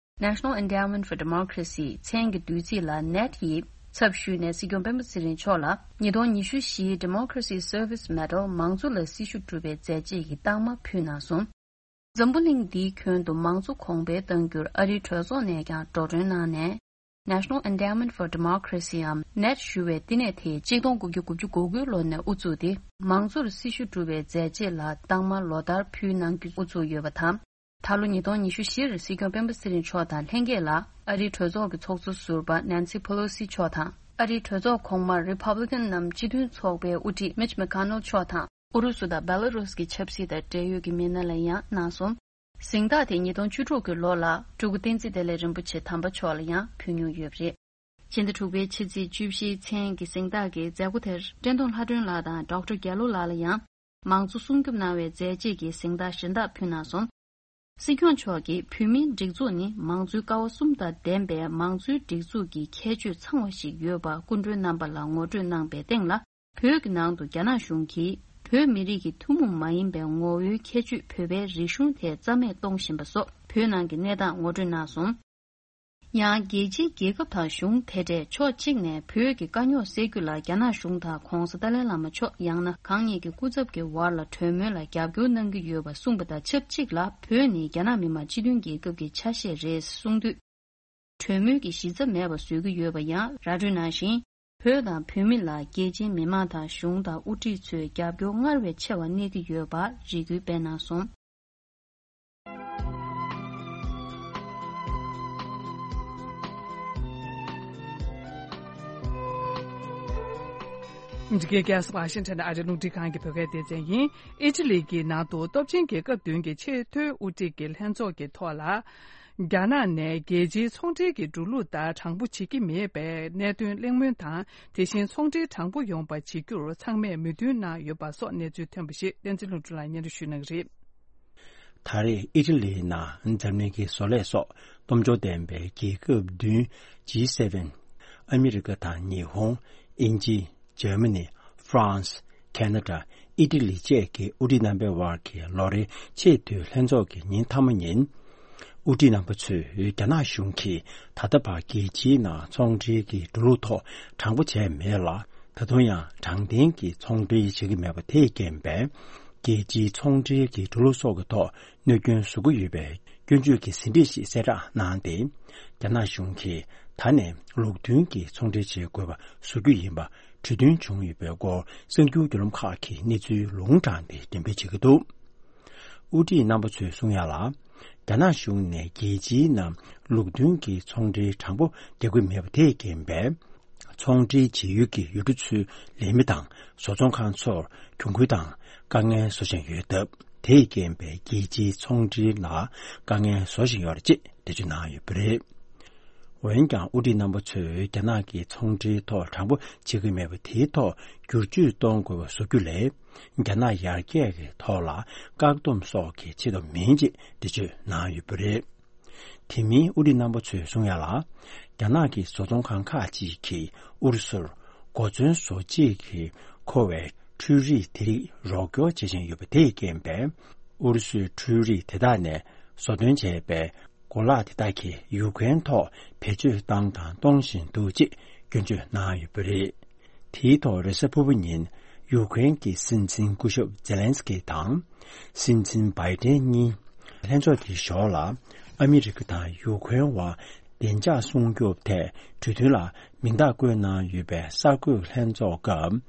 National Endowment for Democracy མཚན་གྱི་བསྡུས་ཚིག་ལ་ནེཊ་ཡི་ཚབ་ཞུས་ནས་སྲིད་སྐྱོང་སྤེན་པ་ཚེ་རིང་མཆོག་ལ་ཉིས་སྟོང་ཉི་ཤུ་བཞིའི་Democracy Service Medal མང་གཙོ་ལ་སྲི་ཞུ་བསྒྲུབས་པའི་མཛད་རྗེས་ཀྱི་རྟགས་མ་ཕུལ་གནང་སོང་། འཛམ་བུ་གླིང་འདིའི་ཁྱོན་དུ་མང་གཙོ་གོང་འཕེལ་གཏང་རྒྱུར་ཨ་རིའི་གྲོས་ཚོགས་ནས་ཀྱང་འགྲོ་གྲོན་གནང་ནས། National Endowment for Democracy འམ་ནེཊ་ཞུ་བའི་བསྟི་གནས་དེ་གཅིག་སྟོང་དགུ་བརྒྱ་དགུ་བཅུ་གོ་དགུའི་ལོ་ནས་དབུ་བཙུགས་ཏེ། མང་གཙོར་སྲི་ཞུ་བསྒྲུབས་པའི་མཛད་རྗེས་ལ་རྟགས་མ་ལོ་ལྟར་ཕུལ་གནང་རྒྱུ་དབུ་བཙུགས་ཡོད་པ་དང་། ད་ལོ་ཉིས་སྟོང་ཉི་ཤུ་བཞིར་སྲིད་སྐྱོང་སྤེན་པ་ཚེ་རིང་མཆོག་དང་ལྷན་རྒྱས་ལ་ཨ་རིའི་གྲོས་ཚོགས་ཀྱི་ཚོགས་གཙོ་ཟུར་པ་ནན་སི་ཕེ་ལོ་སི་མཆོག་དང་། ཨ་རིའི་གྲོས་ཚོགས་གོང་མར་རི་ཕབ་ལི་ཀན་ནམ་སྤྱི་མཐུན་ཚོགས་པའི་དབུ་ཁྲིད་མིཆ་མེ་ཀོ་ནལ་མཆོག་དང་། ཨུ་རུ་སུ་དང་བེ་ལ་རུས་ཀྱི་ཆབ་སྲིད་དང་འབྲེལ་ཡོད་ཀྱི་མི་སྣ་ལ་ཡང་གནང་སོང་། གཟེངས་རྟགས་དེ་ཉིས་སྟོང་བཅུ་དྲུག་གི་ལོ་ལ་སྤྲུལ་སྐུ་བསྟན་འཛིན་བདེ་ལེགས་རིན་པོ་ཆེ་དམ་པ་མཆོག་ལ་ཡང་ཕུལ་མྱོང་ཡོད་པ་རེད། ཕྱི་ཟླ་དྲུག་པའི་ཕྱི་ཚེས་བཅུ་བཞིའི་མཚན་གྱི་གཟེངས་རྟགས་ཀྱི་མཛད་སྒོ་དེར་བཀྲས་མཐོང་ལྷ་སྒྲོན་ལགས་དང་ཌོག་ཊར་རྒྱ་ལོ་ལགས་ལ་ཡང་། མང་གཙོ་སྲུང་སྐྱོབ་གནང་བའི་མཛད་རྗེས་ཀྱི་གཟེངས་རྟགས་གཞན་དག་ཕུལ་གནང་སོང་། སྲིད་སྐྱོང་མཆོག་གིས་བོད་མིའི་སྒྲིག་འཛུགས་ནི་མང་གཙོའི་ཀ་བ་གསུམ་དང་ལྡན་པའི་མང་གཙོའི་སྒྲིག་འཛུགས་ཀྱི་ཁྱད་ཆོས་ཚང་བ་ཞིག་ཡོད་པ་སྐུ་མགྲོན་རྣམ་པ་ལ་ངོ་སྤྲོད་གནང་པའི་སྟེང་ལ། བོད་ཀྱི་ནང་དུ་རྒྱ་ནག་གཞུང་གིས་བོད་མི་རིགས་ཀྱི་ཐུན་མོང་མ་ཡིན་པའི་ངོ་བོའི་ཁྱད་ཆོས་བོད་པའི་རིག་གཞུང་དེ་རྩ་མེད་གཏོང་བཞིན་པ་སོགས། བོད་ནང་གི་གནས་སྟངས་ངོ་སྤྲོད་གནང་སོང་། ཡང་རྒྱལ་སྤྱིའི་རྒྱལ་ཁབ་དང་གཞུང་དེ་འདྲས་ཕྱོགས་གཅིག་ནས་བོད་ཀྱི་དཀའ་རྙོག་སེལ་རྒྱུ་ལ་རྒྱ་ནག་གཞུང་དང་༧གོང་ས་ཏཱ་ལའི་བླ་མ་མཆོག་ཡང་ན་གང་ཉིད་ཀྱི་སྐུ་ཚབ་ཀྱི་བར་ལ་གྲོས་མོལ་ལ་རྒྱབ་སྐྱོར་གནང་གི་ཡོད་པ་གསུངས་པ་དང་ཆབས་ཅིག་ལ། བོད་ནི་རྒྱ་ནག་མི་དམངས་སྤྱི་མཐུན་རྒྱལ་ཁབ་ཀྱི་ཆ་ཤས་རེད་གསུངས་དུས། གྲོས་མོལ་གྱི་གཞི་རྩ་མེད་པ་བཟོ་གི་ཡོད་པ་ཡང་ར་སྤྲོད་གནང་ཞིང་། བོད་དང་བོད་མི་ལ་རྒྱལ་སྤྱིའི་མི་མང་དང་གཞུང་དང་དབུ་ཁྲིད་ཚོས་རྒྱབ་སྐྱོར་སྔར་བས་ཆེ་བ་གནས་ཀྱི་ཡོད་པར་རེ་སྐུལ་སྤེལ་གནང་སོང་། འདི་གའི་རྒྱལ་ས་ཝ་ཤིང་ཊོན་ཨ་རིའི་རླུང་འཕྲིན་ཁང་གི་བོད་སྐད་སྡེ་ཚན་ཡིན། ཨི་ཊ་ལི་གི་ནང་དུ་སྟོབས་ཆེན་རྒྱལ་ཁབ་བདུན་གྱི་ཆེས་མཐོའི་དབུ་ཁྲིད་ཀྱི་ལྷན་ཚོགས་ཀྱི་ཐོག་ལ། རྒྱ་ནག་ནས་རྒྱལ་སྤྱིའི་ཚོང་འབྲེལ་གྱི་འགྲོ་ལུགས་ལྟར་དྲང་པོ་བྱེད་ཀྱི་མེད་པའི་གནད་དོན་གླེང་མོལ་དང་། དེ་བཞིན་ཚོང་འབྲེལ་དྲང་པོ་ཡོང་བ་བྱེད་རྒྱུར་ཚང་མས་མོས་མཐུན་གནང་ཡོད་པ་སོགས་གནས་ཚུལ་ཐོན་པ་ཞིག་བསྟན་འཛིན་ལྷུན་གྲུབ་ལགས་སྙན་སྒྲོན་ཞུ་གནང་གི་རེད། ད་རེས་ཨི་ཊ་ལིའི་ནང་འཛམ་གླིང་གི་བཟོ་ལས་སོགས་སྟོབས་འབྱོར་ལྡན་པའི་རྒྱལ་ཁབ་བདུན། ཇི་སེ་ཝེན། ཨ་མི་རི་ཀ་དང་ཉི་ཧོང་། དབྱིན་ཇི། འཇར་མ་ནི། ཧྥ་རན་སི། ཁེ་ན་ཌ། ཨི་ཊ་ལི་བཅས་ཀྱི་དབུ་ཁྲིད་རྣམ་པའི་དབར་གྱི་ལོ་རེའི་ཆེས་མཐོའི་ལྷན་ཚོགས་ཀྱི་ཉིན་མཐའ་མ་ཉིན། དབུ་ཁྲིད་རྣམ་པ་ཚོས་རྒྱ་ནག་གཞུང་གིས་ད་ལྟ་བར་རྒྱལ་སྤྱིའི་ནང་ཚོང་འབྲེལ་གྱི་འགྲོ་ལུགས་ཐོག་དྲང་པོ་བྱས་མེད་ལ། ད་དུང་ཡང་དྲང་བདེན་གྱི་ཚོང་འབྲེལ་བྱེད་ཀྱི་མེད་པ་དེས་རྐྱེན་པས། རྒྱལ་སྤྱིའི་ཚོང་འབྲེལ་གྱི་འགྲོ་ལུགས་སོགས་ཀྱི་ཐོག་གནོད་སྐྱོན་བཟོ་གི་ཡོད་པའི་སྐྱོན་བརྗོད་ཀྱི་ཟིན་བྲིས་ཤིག་གསལ་བསྒྲགས་གནང་སྟེ། རྒྱ་ནག་གཞུང་གིས་ད་ནས་ལུགས་མཐུན་གྱི་ཚོང་འབྲེལ་བྱེད་དགོས་པ་བཟོ་རྒྱུ་ཡིན་པ་གྲོས་མཐུན་བྱུང་ཡོད་པའི་སྐོར་གསར་འགྱུར་བརྒྱུད་ལམ་ཁག་གིས་གནས་ཚུལ་ལུང་དྲངས་ཏེ་འགྲེམས་སྤེལ་བྱེད་ཀྱི་འདུག་དབུ་ཁྲིད་རྣམ་པ་ཚོས་གསུང་ཡ་ལ། རྒྱ་ནག་གཞུང་ནས་རྒྱལ་སྤྱིའི་ནང་ལུགས་མཐུན་གྱི་ཚོང་འབྲེལ་དྲང་པོ་རྒྱག་གི་མེད་པ་དེས་རྐྱེན་པས། ཚོང་འབྲེལ་བྱེད་ཡུལ་གྱི་ཡུལ་གྲུ་ཚོའི་ལས་མི་དང་བཟོ་ཚོང་ཁང་ཚོར་གྱོང་གུན་དང་དཀའ་ངལ་བཟོ་བཞིན་ཡོད་སྟབས། དེས་རྐྱེན་པས་རྒྱལ་སྤྱིའི་ཚོང་འབྲེལ་ལ་དཀའ་ངལ་བཟོ་བཞིན་ཡོད་རེད་ཅེས་འགྲེལ་བརྗོད་གནང་ཡོད་པ་རེད། འོན་ཀྱང་དབུ་ཁྲིད་རྣམ་པ་ཚོས་རྒྱ་ནག་གིས་ཚོང་འབྲེལ་ཐོག་དྲང་པོ་བྱེད་ཀྱི་མེད་པ་དེའི་ཐོག་བསྒྱུར་བཅོས་གཏོང་དགོས་པ་བཟོ་རྒྱུ་ལས། རྒྱ་ནག་ཡར་རྒྱས་ཀྱི་ཐོག་ལ་བཀག་སྡོམ་སོགས་ཀྱི་ཆེད་དུ་མིན་ཅེས་འགྲེལ་བརྗོད་གནང་ཡོད་པ་རེད། དེ་མིན་དབུ་ཁྲིད་རྣམ་པ་ཚོས་གསུང་ཡ་ལ། རྒྱ་ནག་གི་བཟོ་ཚོང་ཁང་ཁག་ཅིག་གིས་ཨུ་རུ་སུར་གོ་མཚོན་བཟོ་བྱེད་ཀྱིས་མཁོ་བའི་འཕྲུལ་རིག་དེ་རིགས་རོགས་སྐྱོར་བྱེད་བཞིན་ཡོད་པ་དེས་རྐྱེན་པས། ཨུ་རུ་སུའི་འཕྲུལ་རིག་དེ་དག་ནས་བཟོ་ཐོན་བྱས་པའི་གོ་ལག་དེ་དག་གིས་ཡུ་ཀེ་རེན་ཐོག་བེད་སྤྱོད་བཏང་དང་གཏོང་བཞིན་འདུག་ཅེས་སྐྱོན་བརྗོད་གནང་ཡོད་པ་རེད། དེའི་ཐོག་རེས་གཟའ་ཕུར་བུ་ཉིན་ཡུ་ཀེ་རེན་གྱི་སྲིད་འཛིན་སྐུ་ཞབས་ཛེ་ལན་སི་ཀི་དང་། སྲིད་འཛིན་བྷའི་ཏན་གཉིས་ལྷན་ཚོགས་དེའི་ཞོར་ལ། ཨ་མི་རི་ཀ་དང་ཡུ་ཀེ་རེན་བར་བདེ་འཇགས་སྲུང་སྐྱོབ་ཐད་གྲོས་མཐུན་ལ་མིང་རྟགས་བཀོད་གནང་ཡོད་པའི་གསར་འགོད་ལྷན་ཚོགས་སྐབས།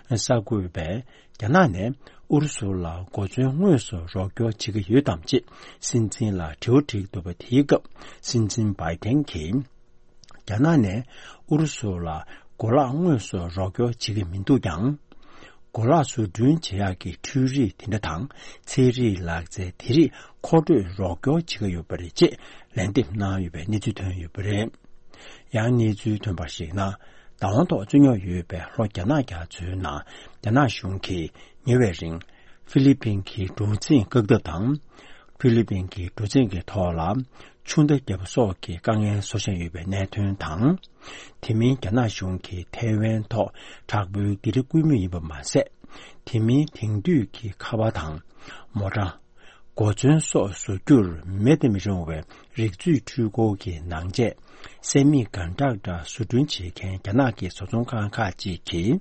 གསར་འགོད་པས་རྒྱ་ནག་ནས་ཨུ་རུ་སུ་ལ་གོ་མཚོན་དངོས་སུ་རོགས་སྐྱོར་བྱེད་ཀྱི་ཡོད་དམ་ཅེས་སྲིད་འཛིན་ལ་དྲི་བ་དྲིས་འདུག་པ། དེའི་སྐབས་སྲིད་འཛིན་བྷའི་ཏན་གྱིས། རྒྱ་ནག་ནས་ཨུ་རུ་སུ་ལ་གོ་ལག་དངོས་སུ་རོགས་སྐྱོར་བྱེད་ཀྱི་མི་འདུག་ཀྱང་། གོ་ལག་བཟོ་སྐྲུན་བྱེད་ཡག་གི་འཕྲུལ་རིག་དེ་འདྲ་དང་ཚན་རིག་ལག་རྩལ་དེ་རིགས་མཁོ་སྤྲོད་རོགས་སྐྱོར་བྱེད་ཀྱི་ཡོད་པ་རེད་ཅེས་ལན་འདེབས་གནང་ཡོད་པའི་གནས་ཚུལ་ཐོན་ཡོད་པ་རེད། ཡང་གནས་ཚུལ་ཐོན་པར་གཞིགས་ན། བདག་དབང་ཐོག་བཙུགས་མྱོང་ཡོད་པའི་ལྷོ་རྒྱ་ནག་རྒྱ་མཚོའི་ནང་རྒྱ་ནག་གཞུང་གིས་ཉེ་བའི་རིང་ཧྥི་ལི་པིན་གྱི་གྲུ་གཟིངས་བཀག་ཐབས་དང་། ཧྥི་ལི་པིན་གྱི་གྲུ་གཟིངས་ཀྱི་ཐོག་ལ་ཆུ་མདའ་བརྒྱབ་པ་སོགས་ཀྱི་དཀའ་ངལ་བཟོ་བཞིན་ཡོད་པའི་གནད་དོན་དང་། དེ་མིན་རྒྱ་ནག་གཞུང་གིས་ཐའེ་ཝན་ཐོག་དྲག་པོའི་སྡེ་རིགས་བརྐོས་མུས་ཡིན་པ་མ་ཟད། དེ་མིན་དེང་དུས་ཀྱི་ཁ་པར་དང་མོ་ཊ། གོ་མཚོན་སོགས་བཟོ་རྒྱུར་མེད་དུ་མི་རུང་བའི་རིག་མཛོད་འཕྲུལ་འཁོར་གྱི་ནང་ཆས་སེ་མི་ཀོན་ཌག་ཊར་བཟོ་སྐྲུན་བྱེད་མཁན་རྒྱ་ནག་གི་བཟོ་ཚོང་ཁང་ཁག་ཅིག་གིས་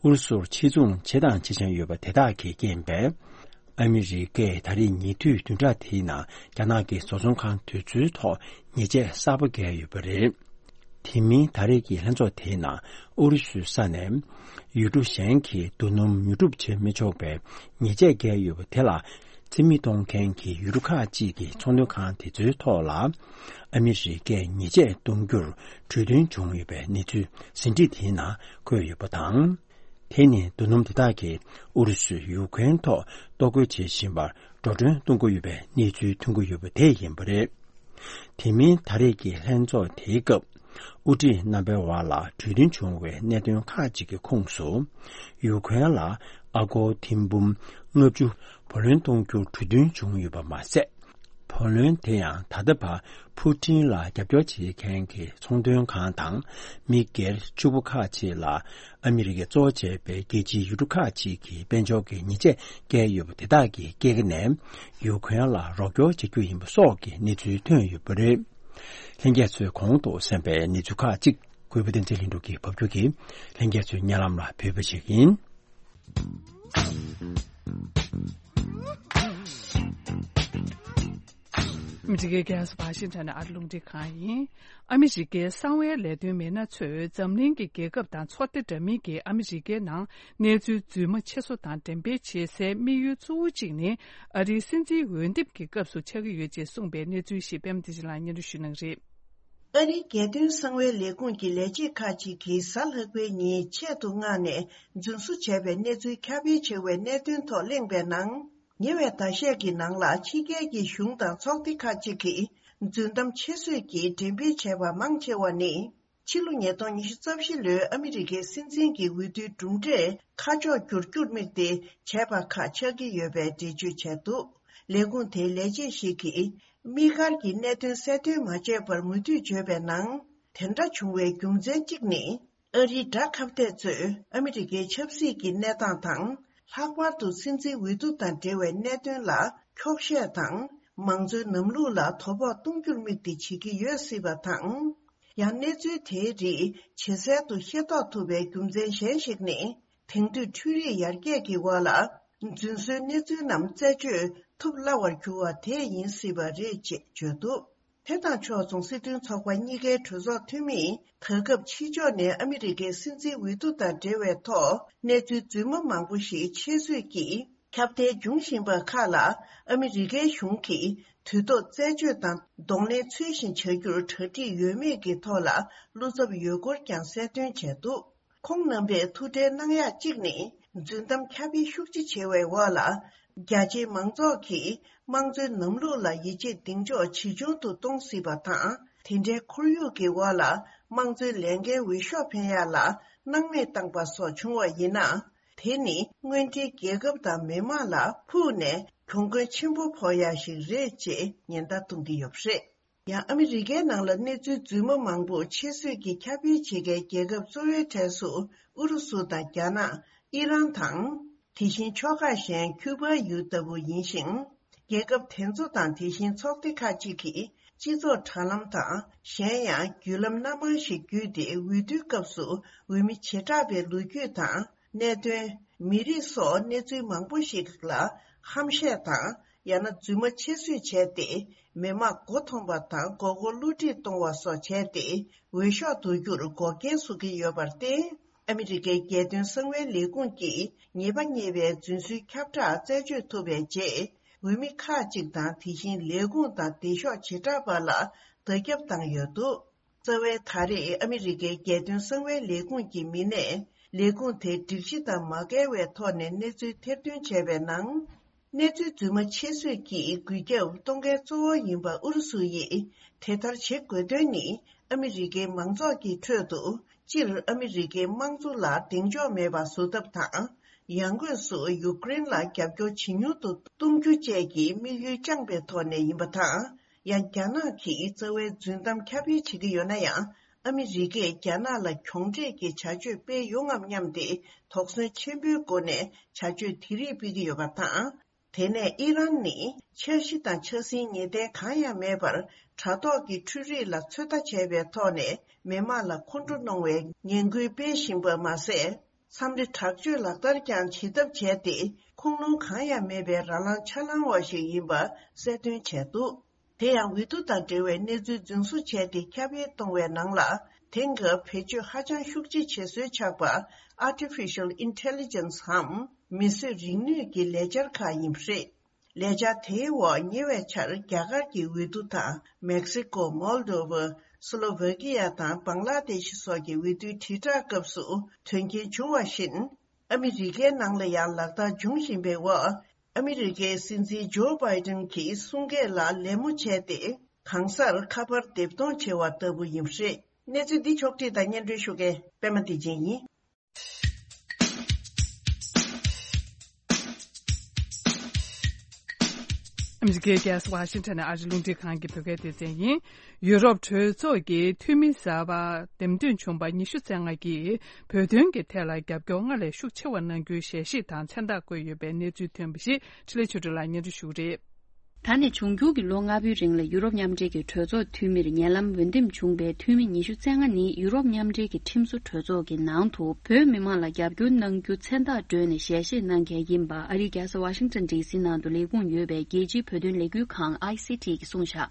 ཨུ་རུ་སུར་ཕྱིར་ཚོང་བྱེད་དང་བྱེད་བཞིན་ཡོད་པ་དེ་དག་གིས་རྐྱེན་པས། ཨ་མི་རི་ཀས་ད་རེས་ཉེ་དུས་བདུན་ཕྲག་དེའི་ནང་རྒྱ་ནག་གི་བཟོ་ཚོང་ཁང་དེ་ཚོའི་ཐོག་ཉེས་ཆད་གསར་པ་བཀལ་ཡོད་པ་རེད། དེ་མིན་ད་རེས་ཀྱི་ལྷན་ཚོགས་དེའི་ནང་ཨུ་རུ་སུའི་ས་ནས་ཡུལ་གྲུ་གཞན་གྱི་རྡོ་སྣུམ་ཉོ་སྒྲུབ་བྱེད་མི་ཆོག་པའི་ཉེས་ཆད་བཀལ་ཡོད་པ་དེ་ལ་རྩིས་མེད་གཏོང་མཁན་གྱི་ཡུལ་གྲུ་ཁག་ཅིག་གི་ཚོང་དོན་ཁང་དེ་ཚོའི་ཐོག་ལ་ཨ་མི་རི་ཀས་ཉེས་ཆད་གཏོང་རྒྱུར་གྲོས་མཐུན་བྱུང་ཡོད་པའི་གནས་ཚུལ་ཟིན་བྲིས་དེའི་ནང་འཁོད་ཡོད་པ་དང་། དེ་ནི་རྡོ་སྣུམ་དེ་དག་གིས་ཨུ་རུ་སུས་ཡུ་ཀེ་རེན་ཐོག་གཏོར་རྒོལ་བྱེད་བཞིན་པར་འགྲོ་གྲོན་གཏོང་གི་ཡོད་པའི་གནས་ཚུལ་ཐོན་གྱི་ཡོད་པ་དེ་ཡིན་པ་རེད། དེ་མིན་ད་རེས་ཀྱི་ལྷན་ཚོགས་དེའི་སྐབས་དབུ་ཁྲིད་རྣམ་པའི་དབར་ལ་གྲོས་མཐུན་བྱུང་བའི་གནད་དོན་ཁག་ཅིག་གི་ཁོངས་སུ། ཡུ་ཀེ་རེན་ལ་ཨ་སྒོར་ཐེར་འབུམ་ལྔ་བཅུ་བུ་ལོན་གཏོང་རྒྱུར་གྲོས་མཐུན་བྱུང་ཡོད་པ་མ་ཟད། བུ་ལོན་དེ་ཡང་ད་ལྟ་བར་ཕུ་ཊིན་ལ་རྒྱབ་སྐྱོར་བྱེད་མཁན་གྱི་ཚོང་དོན་ཁང་དང་མི་སྒེར་ཕྱུག་པོ་ཁག་ཅིག་ལ་ཨ་མི་རི་ཀས་གཙོ་བོ་བྱས་པའི་རྒྱལ་སྤྱིའི་ཡུལ་གྲུ་ཁག་ཅིག་གིས་དཔལ་འབྱོར་གྱི་ཉེས་ཆད་བཀལ་ཡོད་པ་དེ་དག་གི་སྐྱེད་ཀ་ནས་ཡུ་ཁུ་རེན་ལ་རོགས་སྐྱོར་བྱ་རྒྱུ་ཡིན་པ་སོགས་ཀྱི་གནས་ཚུལ་ཐོན་ཡོད་པ་རེད། ལྷན་རྒྱས་ཚོས་གོང་དུ་གསན་པའི་གནས་ཚུལ་ཁག་ཅིག་གུས་པ་བསྟན་འཛིན་ལྷུན་གྲུབ་ཀྱིས་ཕབ་སྒྱུར་གྱིས་ལྷན་རྒྱས་ཚོའི་སྙན་ལམ་ལ་ཕུལ་བ་ཞིག་ཡིན། ཨ་མི་རི་ཀའི་རྒྱལ་ས་ཝ་ཤིང་ཊོན་ནས་ཨ་རི་རླུང་འཕྲིན་ཁང་ཡིན། ཨ་མི་རི་ཀའི་གསང་བའི་ལས་དོན་མི་སྣ་ཚོས་འཛམ་གླིང་གི་རྒྱལ་ཁབ་དང་ཚོགས་སྡེ་འདྲ་མིན་གྱིས་ཨ་མི་རི་ཀའི་ནང་གནས་ཚུལ་རྫུན་མ་ཕྱེ་བསུ་དང་འགྲེམས་སྤེལ་བྱེད་སའི་དམིགས་ཡུལ་གཙོ་བོ་གཅིག་ནི་ཨ་རིའི་སྲིད་འཛིན་འོས་འདེམས་ཀྱི་སྐབས་སུ་ཆགས་ཀྱི་ཡོད་ཅེས་གསུངས་པའི་གནས་ཚུལ་ཞིག་པད་མ་བདེ་ཆེན་ལགས་སྙན་སྒྲོན་ཞུ་གནང་རེད། ཨ་རིའི་རྒྱལ་དོན་གསང་བའི་ལས་ཁུངས་ཀྱི་ལས་བྱེད་ཁག་ཅིག་གིས་གཟའ་ལྷག་པའི་ཉིན་ཆེད་དུ་མངགས་ནས་རྫུན་བཟོ་བྱས་པའི་གནས་ཚུལ་ཁྱབ་སྤེལ་བྱས་པའི་གནད་དོན་ཐོག་གླེང་བའི་ནང་། ཉེ་བའི་ཟླ་ཤས་ཀྱི་ནང་ལ་ཕྱི་རྒྱལ་གྱི་གཞུང་དང་ཚོགས་སྡེ་ཁག་ཅིག་གིས་རྫུན་གཏམ་ཕྱེ་བསུ་གྱིས་འགྲེམས་སྤེལ་བྱས་པ་མང་ཆེ་བ་ནི། ཕྱི་ལོ་ཉིས་སྟོང་ཉི་ཤུ་རྩ་བཞི་ལོའི་ཨ་མི་རི་ཀའི་སྲིད་འཛིན་གྱི་འོས་བསྡུའི་གྲུབ་འབྲས་ཁ་ཕྱོགས་བསྒྱུར་རྒྱུར་དམིགས་ཏེ་བྱས་པ་ཁག་ཆགས་ཀྱི་ཡོད་པའི་འགྲེལ་བརྗོད་བྱས་འདུག་ལས་ཁུངས་དེའི་ལས་བྱེད་ཞིག་གིས། དམིགས་བཀར་གྱི་གནད་དོན་གསལ་སྟོན་མ་བྱས་པར་མུ་མཐུད་བརྗོད་པའི་ནང་། དེ་འདྲ་བྱུང་བའི་རྒྱུ་མཚན་གཅིག་ནི། ཨ་རིའི་དགྲ་ཁ་གཏད་ཚོས་ཨ་མི་རི་ཀའི་ཆབ་སྲིད་ཀྱི་གནས་སྟངས་དང་། ལྷག་པར་དུ་སྲིད་འཛིན་འོས་བསྡུ་དང་འབྲེལ་བའི་གནད་དོན་ལ་འཁྱོག་བཤད་དང་། མང་གཙོའི་ལམ་ལུགས་ལ་དོ་ཕོག་གཏོང་རྒྱུར་དམིགས་ཏེ་བྱེད་ཀྱི་ཡོད་སྲིད་པ་དང་། ཡང་གནས་ཚུལ་དེའི་རིགས་ཇེ་གསལ་དུ་ཤེས་རྟོགས་ཐུབ་པའི་རྒྱུ་མཚན་གཞན་ཞིག་ནི། དེང་དུས་འཕྲུལ་རིག་ཡར་རྒྱས་ཀྱི་འོག་ལ། རྫུན་བཟོའི་གནས་ཚུལ་རྣམས་རྩད་གཅོད་ཐུབ་སླ་བར་གྱུར་བ་དེ་ཡིན་སྲིད་པ་རེད་ཅེས་བརྗོད་འདུག་དེ་དང་ཕྱོགས་མཚུངས་སྲིད་དོན་ཚོགས་པ་གཉིས་ཀའི་གྲོས་ཚོགས་འཐུས་མིས་ད་སྐབས་ཕྱི་ཕྱོགས་ནས་ཨ་མི་རི་ཀའི་སྲིད་འཛིན་འོས་བསྡུ་དང་འབྲེལ་བའི་ཐོག་གནས་ཚུལ་རྫུན་མ་མང་པོ་ཞིག་ཕྱེ་བསུ་གིས་ཁྱབ་གདལ་འབྱུང་བཞིན་པ་ཁག་ལ་ཨ་མི་རི་ཀའི་གཞུང་གིས་དུས་ཐོག་རྩད་གཅོད་དང་གདོང་ལེན་ཚུལ་བཞིན་བྱ་རྒྱུར་གྲ་སྒྲིག་ཡོད་མེད་ཀྱི་ཐོག་ལ་བློ་འཚབ་ཡོད་སྐོར་ཀྱང་གསལ་སྟོན་བྱས་འདུག་ཁོང་རྣམ་པས་ཐུགས་ཁྲལ་གནང་ཡག་གཅིག་ནི། རྫུན་གཏམ་ཁྱབ་སྤེལ་ཤུགས་ཆེ་བྱེད་པའི་འོག་ལ། རྒྱ་ཆེའི་མང་ཚོགས་ཀྱིས་དམངས་གཙོའི་ལམ་ལུགས་ལ་ཡིད་ཆེས་གདེང་འཇོག་ཇེ་ཆུང་དུ་གཏོང་སྲིད་པ་དང་། དེ་འདྲའི་ཁོར་ཡུག་གི་འོག་ལ། དམངས་གཙོའི་ལས་འགན་འོས་ཤོག་འཕེན་ཡག་ལ་སྣང་མེད་བཏང་པ་སོགས་བྱུང་བ་ཡིན་ན། དེ་ནི་དངོས་འབྲེལ་རྒྱལ་ཁབ་དང་མི་དམངས་ལ་ཕུགས་ནས་གྱོང་གུན་ཆེན་པོ་ཕོག་ཡག་ཞིག་རེད་ཅེས་ཉེན་བརྡ་གཏོང་གི་ཡོད་པ་རེད། ཡང་ཨ་མི་རི་ཀའི་ནང་ལ་གནས་ཚུལ་རྫུན་མ་མང་པོ་ཕྱེ་བསུ་གིས་ཁྱབ་སྤེལ་བྱེད་མཁན་རྒྱལ་ཁབ་གཙོ་བོའི་གྲས་སུ་ཨུ་རུ་སུ་དང་རྒྱ་ནག་ཨི་རན་དང་། དེ་བཞིན་ཕྱོགས་ཁག་གཞན་ཁྱུ་པ་ཡུལ་ལྟ་བུ་ཡིན་ཞིང་། རྒྱལ་ཁབ་དེ་ཚོ་དང་དེ་བཞིན་ཚོགས་སྡེ་ཁག་ཅིག་གིས་སྤྱི་ཚོགས་དྲ་ལམ་དང་གཞན་ཡང་བརྒྱུད་ལམ་སྣ་མང་ཞིག་བརྒྱུད་དེ་འོས་བསྡུའི་སྐབས་སུ་འོས་མི་བྱེ་བྲག་པའི་ལོ་རྒྱུས་དང་། གནད་དོན། མི་རིགས་སོགས་གནས་ཚུལ་མང་པོ་ཞིག་ལ་ཧམ་བཤད་དང་ཡང་ན་རྫུན་མ་ཕྱེ་བསུ་བྱས་ཏེ། མི་དམངས་མགོ་འཐོམ་པ་དང་མགོ་སྐོར་བསླུ་བྲིད་གཏོང་བ་སོགས་བྱས་ཏེ། འོས་ཤོག་བསྡུ་རྒྱུར་འགོག་རྐྱེན་བཟོ་གི་ཡོད་པར་བརྟེན། ཨ་མི་རི་ཀའི་རྒྱལ་དོན་གསང་བའི་ལས་ཁུངས་ཀྱིས་ཉེས་པ་བསྙད་པའི་རྫུན་བཟོའི་ཁྱབ་བསྒྲགས་རྩད་གཅོད་ཐུབ་པའི་རྗེས། འོས་མི་ཁག་ཅིག་དང་དེ་བཞིན་ལས་ཁུངས་དང་སྡེ་ཤོག་བྱེ་བྲག་པ་ལ་བརྡ་ཁྱབ་བཏང་ཡོད་འདུག་རྩ་བའི་ད་རེས་ཨ་མི་རི་ཀའི་རྒྱལ་དོན་གསང་བའི་ལས་ཁུངས་ཀྱི་མི་སྣས་ལས་ཁུངས་དེ་སྒྲིག་གཞི་དང་མ་འགལ་བའི་ཐོག་ནས་གནས་ཚུལ་ཐེར་འདོན་བྱས་པའི་ནང་། གནས་ཚུལ་རྫུན་མ་ཕྱེ་བསུ་གྱིས་འགུལ་སྐྱོད་གཏོང་མཁན་གཙོ་བོ་ཡིན་པ་ཨུ་རུ་སུ་ཡིས་དེ་ལྟར་བྱེད་དགོས་དོན་ནི་ཨ་མི་རི་ཀའི་མང་ཚོགས་ཀྱི་ཁྲོད་དུ་སྤྱིར་ཨ་མི་རི་ཀའི་དམངས་གཙོ་ལ་གདེང་འཇོག་མེད་པ་བཟོ་ཐབས་དང་། ཡང་སྒོས་སུ་ཡུཀ་རེན་ལ་རྒྱབ་སྐྱོར་ཇེ་ཉུང་དུ་གཏོང་རྒྱུ་བཅས་ཀྱི་དམིགས་ཡུལ་བཅངས་པའི་ཐོག་ནས་ཡིན་པ་དང་། ཡང་རྒྱ་ནག་གིས་རྩ་བའི་རྫུན་གཏམ་ཁྱབ་སྤེལ་བྱེད་ཀྱི་ཡོད་ན་ཡང་། ཨ་མི་རི་ཀས་རྒྱ་ནག་ལ་གྱོང་འབྲས་ཀྱི་བྱ་སྤྱོད་སྤེལ་ཡོང་ངམ་སྙམ་སྟེ་དོགས་ཟོན་ཆེན་པོའི་སྒོ་ནས་བྱ་སྤྱོད་དེ་རིགས་སྤེལ་གྱི་ཡོད་པ་དང་། དེ་ནས་ཨི་རན་ནི་འཆར་གཞི་དང་འཆར་ཟིན་ངེས་གཏན་གང་ཡང་མེད་པར། དྲ་ཐོག་གི་འཕྲུལ་རིག་ལ་ཚོད་ལྟ་བྱས་པའི་ཐོག་ནས་མི་དམངས་ལ་ཁོང་ཁྲོ་གནོང་བའི་ངན་སྐུལ་སྤེལ་བཞིན་པ་མ་ཟད། འཚམས་འདྲི་དྲག་སྤྱོད་ལག་བསྟར་ཀྱང་བྱེད་ཐབས་བྱས་ཏེ། ཁུངས་ལུང་གང་ཡང་མེད་པའི་ར་ལངས་ཆ་ལངས་པ་ཞིག་ཡིན་པ་གསལ་སྟོན་བྱས་འདུག་དེ་ཡང་འོས་བསྡུ་དང་འབྲེལ་བའི་གནས་ཚུལ་རྫུན་བཟོ་བྱས་ཏེ་ཁྱབ་སྤེལ་གཏོང་བའི་ནང་ལ། དེང་སྐབས་བེད་སྤྱོད་ཧ་ཅང་ཤུགས་ཆེ་བྱེད་སྲོལ་ཆགས་པ། Artificial Intelligence འམ། མིས་བཟོས་རིག་ནུས་ཀྱི་ལས་འཆར་ཁག་ཡིན་པ་རེད། ལས་འཆར་དེའི་འོག་ཉེ་བའི་ཆར་རྒྱ་གར་གྱི་འོས་བསྡུ་དང་། མེག་སི་ཀོ། མོལ་དོ་ཝ། སི་ལོ་ཝེ་ཀི་ཡ་དང་། བང་ལ་དེ་ཤི་སོགས་ཀྱི་འོས་བསྡུའི་དྲིལ་བསྒྲགས་སྐབས་སུ་དོན་རྐྱེན་བྱུང་བ་བཞིན། ཨ་མི་རི་ཀའི་ནང་ལ་ཡང་ལག་བསྟར་འབྱུང་བཞིན་པའི་འོག་ཨ་མི་རི་ཀའི་སྲིད་འཛིན་ཇོ་བྷའི་ཏན་གྱི་གསུང་སྐད་ལ་ལད་མོ་བྱས་ཏེ། གང་སར་ཁ་པར་འདེབས་གཏོང་བྱས་པ་ལྟ་བུ་ཡིན་པ་རེད། གནས་ཚུལ་འདི་ཕྱོགས་བསྒྲིགས་དང་སྙན་སྒྲོན་ཞུ་མཁན་པད་མ་བདེ་ཆེན་ཡིན། ཨ་མི་རི་ཀའི་རྒྱལ་ས་ཝ་ཤིང་ཊོན་ནས་ཨ་རི་རླུང་འཕྲིན་ཁང་གི་བོད་སྐད་སྡེ་ཚན་ཡིན། ཡུ་རོབ་གྲོས་ཚོགས་ཀྱི་འཐུས་མི་གསར་པ་འདེམས་ཐོན་བྱུང་པ་ཉི་ཤུ་རྩ་ལྔ་གིས་བོད་དོན་གྱི་ཐད་ལ་རྒྱབ་སྐྱོར་སྔར་ལས་ཤུགས་ཆེ་བ་གནང་རྒྱུའི་ཞལ་བཞེས་དང་མཚན་རྟགས་བཀོད་ཡོད་པའི་གནས་ཚུལ་ཐོན་པ་ཞིག་འཕྲིན་ལས་ཆོས་སྒྲོན་ལགས་སྙན་སྒྲོན་ཞུ་གི་རེད། ད་ནས་འབྱུང་འགྱུར་གྱི་ལོ་ལྔ་པོའི་རིང་ལ་ཡུ་རོབ་མཉམ་འབྲེལ་གྱི་གྲོས་ཚོགས་འཐུས་མིར་ཉེ་ལམ་འོས་འདེམས་བྱུང་པའི་འཐུས་མི་ཉི་ཤུ་རྩ་ལྔ་ནི་ཡུ་རོབ་མཉམ་འབྲེལ་གྱི་ཁྲིམས་བཟོ་གྲོས་ཚོགས་ཀྱི་ནང་དུ་བོད་མི་མང་ལ་རྒྱབ་སྐྱོར་གནང་རྒྱུ་མཚན་རྟགས་བསྒྲོན་ནས་ཞལ་བཞེས་གནང་མཁན་ཡིན་པ་ཨ་རིའི་རྒྱལ་ས་ཝ་ཤིང་ཊོན་ཌི་སི་ནང་དུ་ལས་ཁུངས་ཡོད་པའི་རྒྱལ་སྤྱིའི་བོད་དོན་ལས་འགུལ་ཁང་ཨའི་སི་ཊི་གིས་གསུངས་བཞག་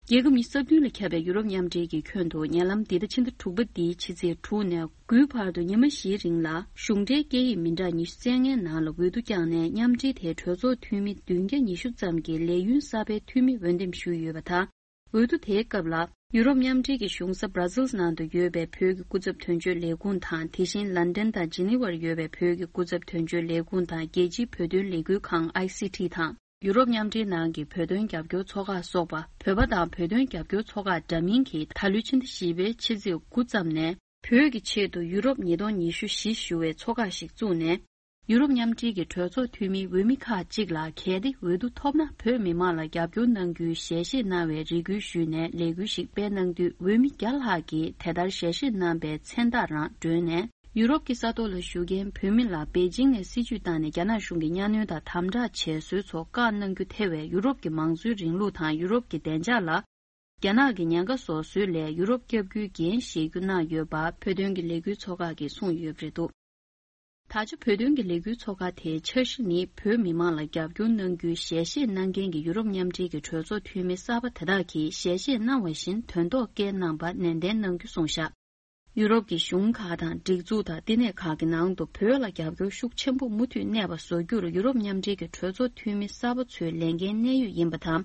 རྒྱལ་ཁབ་ཉི་ཤུ་རྩ་བདུན་ལ་ཁྱབ་པའི་ཡུ་རོབ་མཉམ་འབྲེལ་གྱི་ཁྱོན་དུ་ཉེ་ལམ་འདི་ཟླ་ཕྱི་ཟླ་དྲུག་པ་འདིའི་ཕྱི་ཚེས་དྲུག་ནས་དགུའི་བར་དུ་ཉི་མ་བཞིའི་རིང་ལ་གཞུང་འབྲེལ་སྐད་ཡིག་མི་འདྲ་ཉི་ཤུ་རྩ་ལྔའི་ནང་ལ་འོས་བསྡུ་བསྐྱངས་ནས་མཉམ་འབྲེལ་དེའི་གྲོས་ཚོགས་འཐུས་མི་བདུན་བརྒྱ་ཉི་ཤུ་ཙམ་གྱིས་ལས་ཡུན་གསར་པའི་འཐུས་མི་འོས་འདེམས་ཞུས་ཡོད་པ་དང་། འོས་བསྡུ་དེའི་སྐབས་ལ་ཡུ་རོབ་མཉམ་འབྲེལ་གྱི་གཞུང་ས་Brussels་ནང་དུ་ཡོད་པའི་བོད་ཀྱི་སྐུ་ཚབ་དོན་གཅོད་ལས་ཁུངས་དང་། དེ་བཞིན་ལན་ཏན་དང་ཇི་ནི་ཝར་ཡོད་པའི་བོད་ཀྱི་སྐུ་ཚབ་དོན་གཅོད་ལས་ཁུངས་དང་། རྒྱལ་སྤྱིའི་བོད་དོན་ལས་འགུལ་ཁང་ཨའི་སི་ཊི་དང་། ཡུ་རོབ་མཉམ་འབྲེལ་ནང་གི་བོད་དོན་རྒྱབ་སྐྱོར་ཚོགས་ཁག་སོགས་པ། བོད་པ་དང་བོད་དོན་རྒྱབ་སྐྱོར་ཚོགས་ཁག་འདྲ་མིན་གྱིས་ད་ལོའི་ཕྱི་ཟླ་བཞི་པའི་ཕྱི་ཚེས་དགུ་ཙམ་ནས། བོད་ཀྱི་ཆེད་དུ་ཡུ་རོབ་ཉིས་སྟོང་ཉི་ཤུ་བཞི་ཞུ་བའི་ཚོགས་ཁག་ཞིག་བཙུགས་ནས། ཡུ་རོབ་མཉམ་འབྲེལ་གྱི་གྲོས་ཚོགས་འཐུས་མིའི་འོས་མི་ཁག་ཅིག་ལ་གལ་ཏེ་འོས་བསྡུ་ཐོབ་ན་བོད་མི་མང་ལ་རྒྱབ་སྐྱོར་གནང་རྒྱུའི་ཞལ་བཞེས་གནང་བའི་རེ་སྐུལ་ཞུས་ནས་ལས་འགུལ་ཞིག་སྤེལ་གནང་དུས། འོས་མི་བརྒྱ་ལྷག་གིས་དེ་ལྟར་ཞལ་བཞེས་གནང་པའི་མཚན་རྟགས་རང་བསྒྲོན་ནས། ཡུ་རོབ་ཀྱི་ས་ཐོག་ལ་བཞུགས་མཁན་བོད་མི་ལ་པེ་ཅིང་ནས་སྲིད་ཇུས་བཏང་ནས་རྒྱ་ནག་གཞུང་གི་གཉའ་གནོན་དང་དམ་དྲག་བྱས་སྲོལ་ཚོ་བཀག་གནང་རྒྱུ་ཐེ་བའི་ཡུ་རོབ་ཀྱི་མང་གཙོའི་རིང་ལུགས་དང་ཡུ་རོབ་ཀྱི་བདེ་འཇགས་ལ། རྒྱ་ནག་གི་ཉེན་ཁ་བཟོ་སྲོལ་ལས་ཡུ་རོབ་བསྐྱབ་རྒྱུའི་འགན་བཞེས་རྒྱུ་གནང་ཡོད་པ་བོད་དོན་གྱི་ལས་འགུལ་ཚོགས་ཁག་གིས་གསུངས་ཡོད་པ་རེད་འདུག་ད་ཆ་བོད་དོན་གྱི་ལས་འགུལ་ཚོགས་ཁག་དེའི་འཆར་གཞི་ནི། བོད་མི་མང་ལ་རྒྱབ་སྐྱོར་གནང་རྒྱུའི་ཞལ་བཞེས་གནང་མཁན་གྱི་ཡུ་རོབ་མཉམ་འབྲེལ་གྱི་གྲོས་ཚོགས་འཐུས་མི་གསར་པ་དེ་དག་གིས་ཞལ་བཞེས་གནང་བ་བཞིན་དོན་ཐོག་བཀལ་གནང་པ་ནན་ཏན་གནང་རྒྱུ་གསུངས་བཞག་ཡུ་རོབ་ཀྱི་གཞུང་ཁག་དང་སྒྲིག་འཛུགས་དང་བསྟི་གནས་ཁག་གི་ནང་དུ་བོད་ལ་རྒྱབ་སྐྱོར་ཤུགས་ཆེན་པོ་མུ་མཐུད་གནས་པ་བཟོ་རྒྱུར་ཡུ་རོབ་མཉམ་འབྲེལ་གྱི་གྲོས་ཚོགས་འཐུས་མི་གསར་པ་ཚོའི་ལས་འགན་གནད་ཡོད་ཡིན་པ་དང་།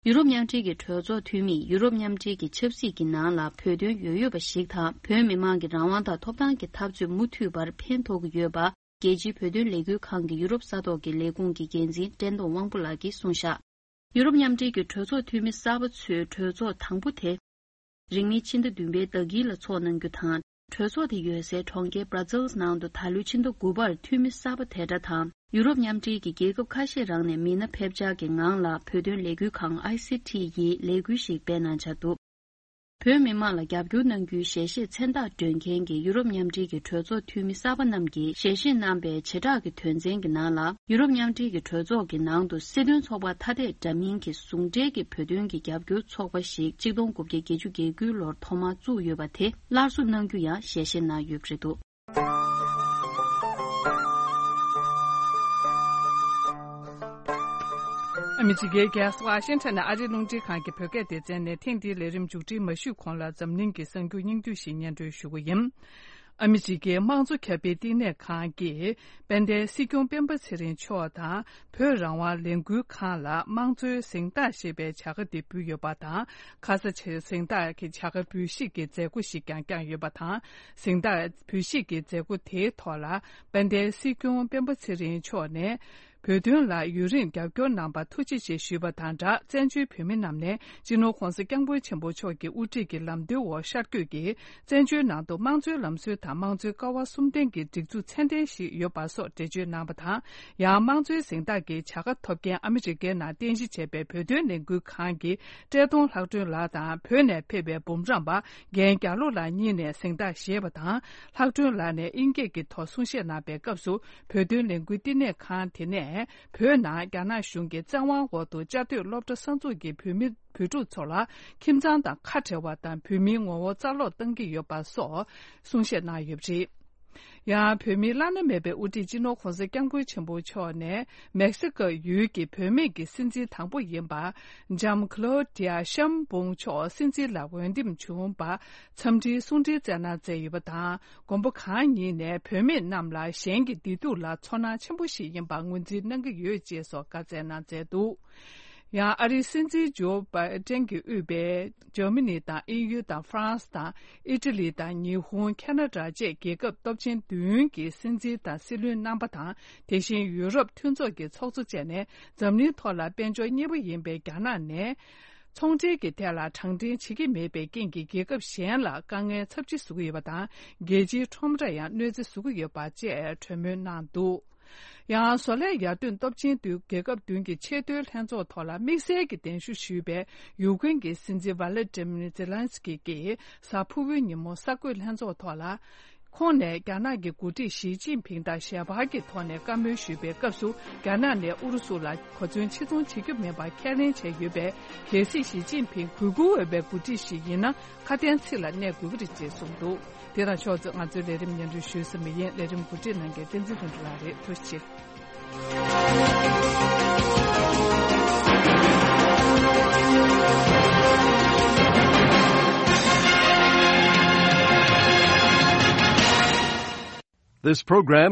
ཡུ་རོབ་མཉམ་འབྲེལ་གྱི་གྲོས་ཚོགས་འཐུས་མིས་ཡུ་རོབ་མཉམ་འབྲེལ་གྱི་ཆབ་སྲིད་ཀྱི་ནང་ལ་བོད་དོན་ཡོད་ཡོད་པ་ཞིག་དང་། བོད་མི་མང་གི་རང་དབང་དང་ཐོབ་ཐང་གི་འཐབ་རྩོད་མུ་མཐུད་པར་ཕན་ཐོགས་ཀྱི་ཡོད་པ། རྒྱལ་སྤྱིའི་བོད་དོན་ལས་འགུལ་ཁང་གི་ཡུ་རོབ་ས་ཐོག་གི་ལས་ཁུངས་ཀྱི་འགན་འཛིན་བཀྲས་མཐོང་དབང་པོ་ལགས་ཀྱིས་གསུངས་བཞག་ཡུ་རོབ་མཉམ་འབྲེལ་གྱི་གྲོས་ཚོགས་འཐུས་མི་གསར་པ་ཚོའི་གྲོས་ཚོགས་དང་པོ་དེ། རིང་མིན་ཕྱི་ཟླ་བདུན་པའི་ཟླ་དཀྱིལ་ལ་འཚོགས་གནང་རྒྱུ་དང་། གྲོས་ཚོགས་དེ་ཡོད་སའི་གྲོང་ཁྱེར་Brussels་ནང་དུ་ད་ལོའི་ཕྱི་ཟླ་དགུ་པར་འཐུས་མི་གསར་པ་དེ་འདྲ་དང་། ཡུ་རོབ་མཉམ་འབྲེལ་གྱི་རྒྱལ་ཁབ་ཁ་ཤས་རང་ནས་མི་སྣ་ཕེབས་འཆར་གྱི་ངང་ལ་བོད་དོན་ལས་འགུལ་ཁང་ཨའི་སི་ཊི་ཡིས་ལས་འགུལ་ཞིག་སྤེལ་གནང་འཆར་འདུག་བོད་མི་མང་ལ་རྒྱབ་སྐྱོར་གནང་རྒྱུའི་ཞལ་བཞེས་མཚན་རྟགས་སྒྲོན་མཁན་གྱི་ཡུ་རོབ་མཉམ་འབྲེལ་གྱི་གྲོས་ཚོགས་འཐུས་མི་གསར་པ་རྣམས་ཀྱིས་ཞལ་བཞེས་གནང་པའི་བྱེ་བྲག་གི་དོན་ཚན་གྱི་ནང་ལ། ཡུ་རོབ་མཉམ་འབྲེལ་གྱི་གྲོས་ཚོགས་ཀྱི་ནང་དུ་སྲིད་དོན་ཚོགས་པ་ཐ་དད་འདྲ་མིན་གྱི་ཟུང་འབྲེལ་གྱི་བོད་དོན་གྱི་རྒྱབ་སྐྱོར་ཚོགས་པ་ཞིག་ཆིག་སྟོང་དགུ་བརྒྱ་བརྒྱད་ཅུ་གྱ་དགུའི་ལོར་ཐོག་མར་བཙུགས་ཡོད་པ་དེ་སླར་གསོ་གནང་རྒྱུ་ཡང་ཞལ་བཞེས་གནང་ཡོད་པ་རེད་འདུག་ཨ་མི་རི་ཀའི་རྒྱལ་ས་ཝ་ཤིང་ཊོན་ནས་ཨ་རིའི་རླུང་འཕྲིན་ཁང་གི་བོད་སྐད་སྡེ་ཚན་ནས་ཐེངས་འདིའི་ལས་རིམ་མཇུག་སྒྲིལ་མ་ཞུས་གོང་ལ་འཛམ་གླིང་གི་གསར་འགྱུར་སྙིང་བསྡུས་ཤིག་སྙན་སྒྲོན་ཞུ་གི་ཡིན། ཨ་མི་རི་ཀའི་དམངས་གཙོ་ཁྱབ་སྤེལ་བསྟི་གནས་ཁང་གིས་དཔལ་ལྡན་སྲིད་སྐྱོང་སྤེན་པ་ཚེ་རིང་མཆོག་དང་བོད་རང་དབང་ལས་འགུལ་ཁང་ལ་དམངས་གཙོའི་གཟེངས་རྟགས་ཞེས་པའི་བྱ་དགའ་དེ་ཕུལ་ཡོད་པ་དང་། ཁ་ས་ཆེ་གཟེངས་རྟགས་ཀྱི་བྱ་དགའ་འབུལ་བཞེས་ཀྱི་མཛད་སྒོ་ཞིག་ཀྱང་བསྐྱངས་ཡོད་པ་དང་། གཟེངས་རྟགས་འབུལ་བཞེས་ཀྱི་མཛད་སྒོ་དེའི་ཐོག་ལ་དཔལ་ལྡན་སྲིད་སྐྱོང་སྤེན་པ་ཚེ་རིང་མཆོག་ནས། བོད་དོན་ལ་ཡུན་རིང་རྒྱབ་སྐྱོར་གནང་བར་ཐུགས་རྗེ་ཆེ་ཞུས་པ་དང་སྦྲགས། བཙན་བྱོལ་བོད་མི་རྣམས་ནས་སྤྱི་ནོར་༸གོང་ས་༸སྐྱབས་མགོན་ཆེན་པོ་མཆོག་གི་དབུ་ཁྲིད་ཀྱི་ལམ་སྟོན་འོག་ཤར་བསྐྱོད་ཀྱིས་བཙན་བྱོལ་ནང་དུ་དམངས་གཙོའི་ལམ་སྲོལ་དང་དམངས་གཙོའི་ཀ་བ་གསུམ་ལྡན་གྱི་སྒྲིག་འཛུགས་ཚད་ལྡན་ཞིག་ཡོད་པ་སོགས་འགྲེལ་བརྗོད་གནང་བ་དང་། ཡང་དམངས་གཙོའི་གཟེངས་རྟགས་ཀྱི་བྱ་དགའ་ཐོབ་མཁན་ཨ་མི་རི་ཀའི་ནང་རྟེན་གཞི་བྱས་པའི་བོད་དོན་ལས་འགུལ་ཁང་གི་བཀྲས་མཐོང་ལྷག་སྒྲོན་ལགས་དང་། བོད་ནས་ཕེབས་པའི་འབུམ་རམས་པ་རྒན་རྒྱ་ལོ་ལགས་གཉིས་ནས་གཟེངས་རྟགས་བཞེས་པ་དང་། ལྷག་སྒྲོན་ལགས་ནས་དབྱིན་སྐད་ཀྱི་ཐོག་གསུང་བཤད་གནང་པའི་སྐབས་སུ། བོད་དོན་ལས་འགུལ་བསྟི་གནས་ཁང་དེ་ནས་བོད་ནང་རྒྱ་ནག་གཞུང་གི་བཙན་དབང་འོག་ཏུ་བཅའ་སྡོད་སློབ་གྲྭ་གསར་འཛུགས་ཀྱི་བོད་མི་བོད་ཕྲུག་ཚོ་ལ་ཁྱིམ་ཚང་དང་ཁ་བྲལ་བ་དང་། བོད་མིའི་ངོ་བོ་རྩ་སློག་གཏང་གི་ཡོད་པ་སོགས་གསུང་བཤད་གནང་ཡོད་པ་རེད། ཡང་བོད་མིའི་བླ་ན་མེད་པའི་དབུ་ཁྲིད་སྤྱི་ནོར་༸གོང་ས་༸སྐྱབས་མགོན་ཆེན་པོ་མཆོག་ནས་མེག་སི་ཀོ་ཡུལ་གྱི་བུད་མེད་ཀྱི་སྲིད་འཛིན་དང་པོ་ཡིན་པ། ལྕམ་ཀློ་ཌི་ཡ་ཤམ་བུང་མཆོག་སྲིད་འཛིན་ལ་འོས་འདེམས་བྱུང་བར་འཚམས་འདྲིའི་གསུང་འཕྲིན་བསྩལ་གནང་མཛད་ཡོད་པ་དང་། མགོན་པོ་གང་ཉིད་ནས་བུད་མེད་རྣམས་ལ་གཞན་གྱི་བདེ་སྡུག་ལ་ཚོར་སྣང་ཆེན་པོ་ཞིག་ཡིན་པར་ངོས་འཛིན་གནང་གི་ཡོད་ཅེས་སོགས་བཀའ་སྩལ་གནང་མཛད་འདུག་ཡང་ཨ་རིའི་སྲིད་འཛིན་ཇོ་བྷའི་ཏན་གྱིས་དབུས་པའི་འཇར་མ་ནི་དང་དབྱིན་ཡུལ་དང་ཧྥ་རན་སི་དང་ཨི་ཊ་ལི་དང་ཉི་ཧོང་། ཁ་ན་ཌ་བཅས་རྒྱལ་ཁབ་སྟོབས་ཆེན་བདུན་གྱི་སྲིད་འཛིན་དང་སྲིད་བློན་རྣམ་པ་དང་། དེ་བཞིན་ཡུ་རོབ་མཐུན་ཚོགས་ཀྱི་ཚོགས་གཙོ་བཅས་ནས་འཛམ་གླིང་ཐོག་ལ་དཔལ་འབྱོར་གཉེར་པ་ཡིན་པའི་རྒྱ་ནག་ནས། ཚོང་འབྲེལ་གྱི་ཐད་ལ་དྲང་འཕྲིན་བྱེད་ཀྱི་མེད་པའི་རྐྱེན་གྱིས་རྒྱལ་ཁབ་གཞན་ལ་དཀའ་ངལ་ཚབས་ཆེ་བཟོ་གི་ཡོད་པ་དང་། རྒྱལ་སྤྱིའི་ཁྲོམ་ར་ཡང་གནོད་འཚེ་བཟོ་གི་ཡོད་པ་བཅས་གྲོས་མོལ་གནང་འདུག་ཡང་བཟོ་ལས་ཡར་ཐོན་སྟོབས་ཆེན་བདུན་རྒྱལ་ཁབ་བདུན་གྱི་ཆེས་མཐོའི་ལྷན་ཚོགས་ཐོག་ལ་དམིགས་བསལ་གྱི་གདན་ཞུ་ཞུས་པའི་ཡུ་ཀེན་གྱི་སྲིད་འཛིན་ཝ་ལ་ཏི་མིར་ཛེ་ལན་སི་ཀི་གིས་གཟའ་ཕུར་བུའི་ཉིན་མོ་གསར་འགོད་ལྷན་ཚོགས་ཐོག་ལ། ཁོང་ནས་རྒྱ་ནག་གི་འགོ་ཁྲིད་ཞི་ཅིན་ཕིང་དང་ཞལ་པར་གྱི་ཐོག་ནས་བཀའ་མོལ་ཞུས་པའི་སྐབས་སུ། རྒྱ་ནག་ནས་ཨུ་རུ་སུ་ལ་གོ་མཚོན་ཆེ་མཚུངས་བྱེད་རྒྱུ་མིན་པར་ཁས་ལེན་བྱས་ཡོད་པས། གལ་སྲིད་ཞི་ཅིན་ཕིང་གུས་བཀུར་འོས་པའི་འགོ་ཁྲིད་ཞིག་ཡིན་ན། ཁ་དན་ཚིག་ལ་གནས་དགོས་ཀྱི་རེད་ཅེས་གསུངས་འདུག་དེ་དང་ཕྱོགས་མཚུངས་ང་ཚོའི་ལས་རིམ་སྙན་སྒྲོན་ཞུས་ཟིན་པ་ཡིན། ལས་རིམ་གོ་སྒྲིག་གནང་མཁན་བསྟན་འཛིན་ལྷུན་གྲུབ་ལགས་རེད། ཐུགས་རྗེ་ཆེ། This program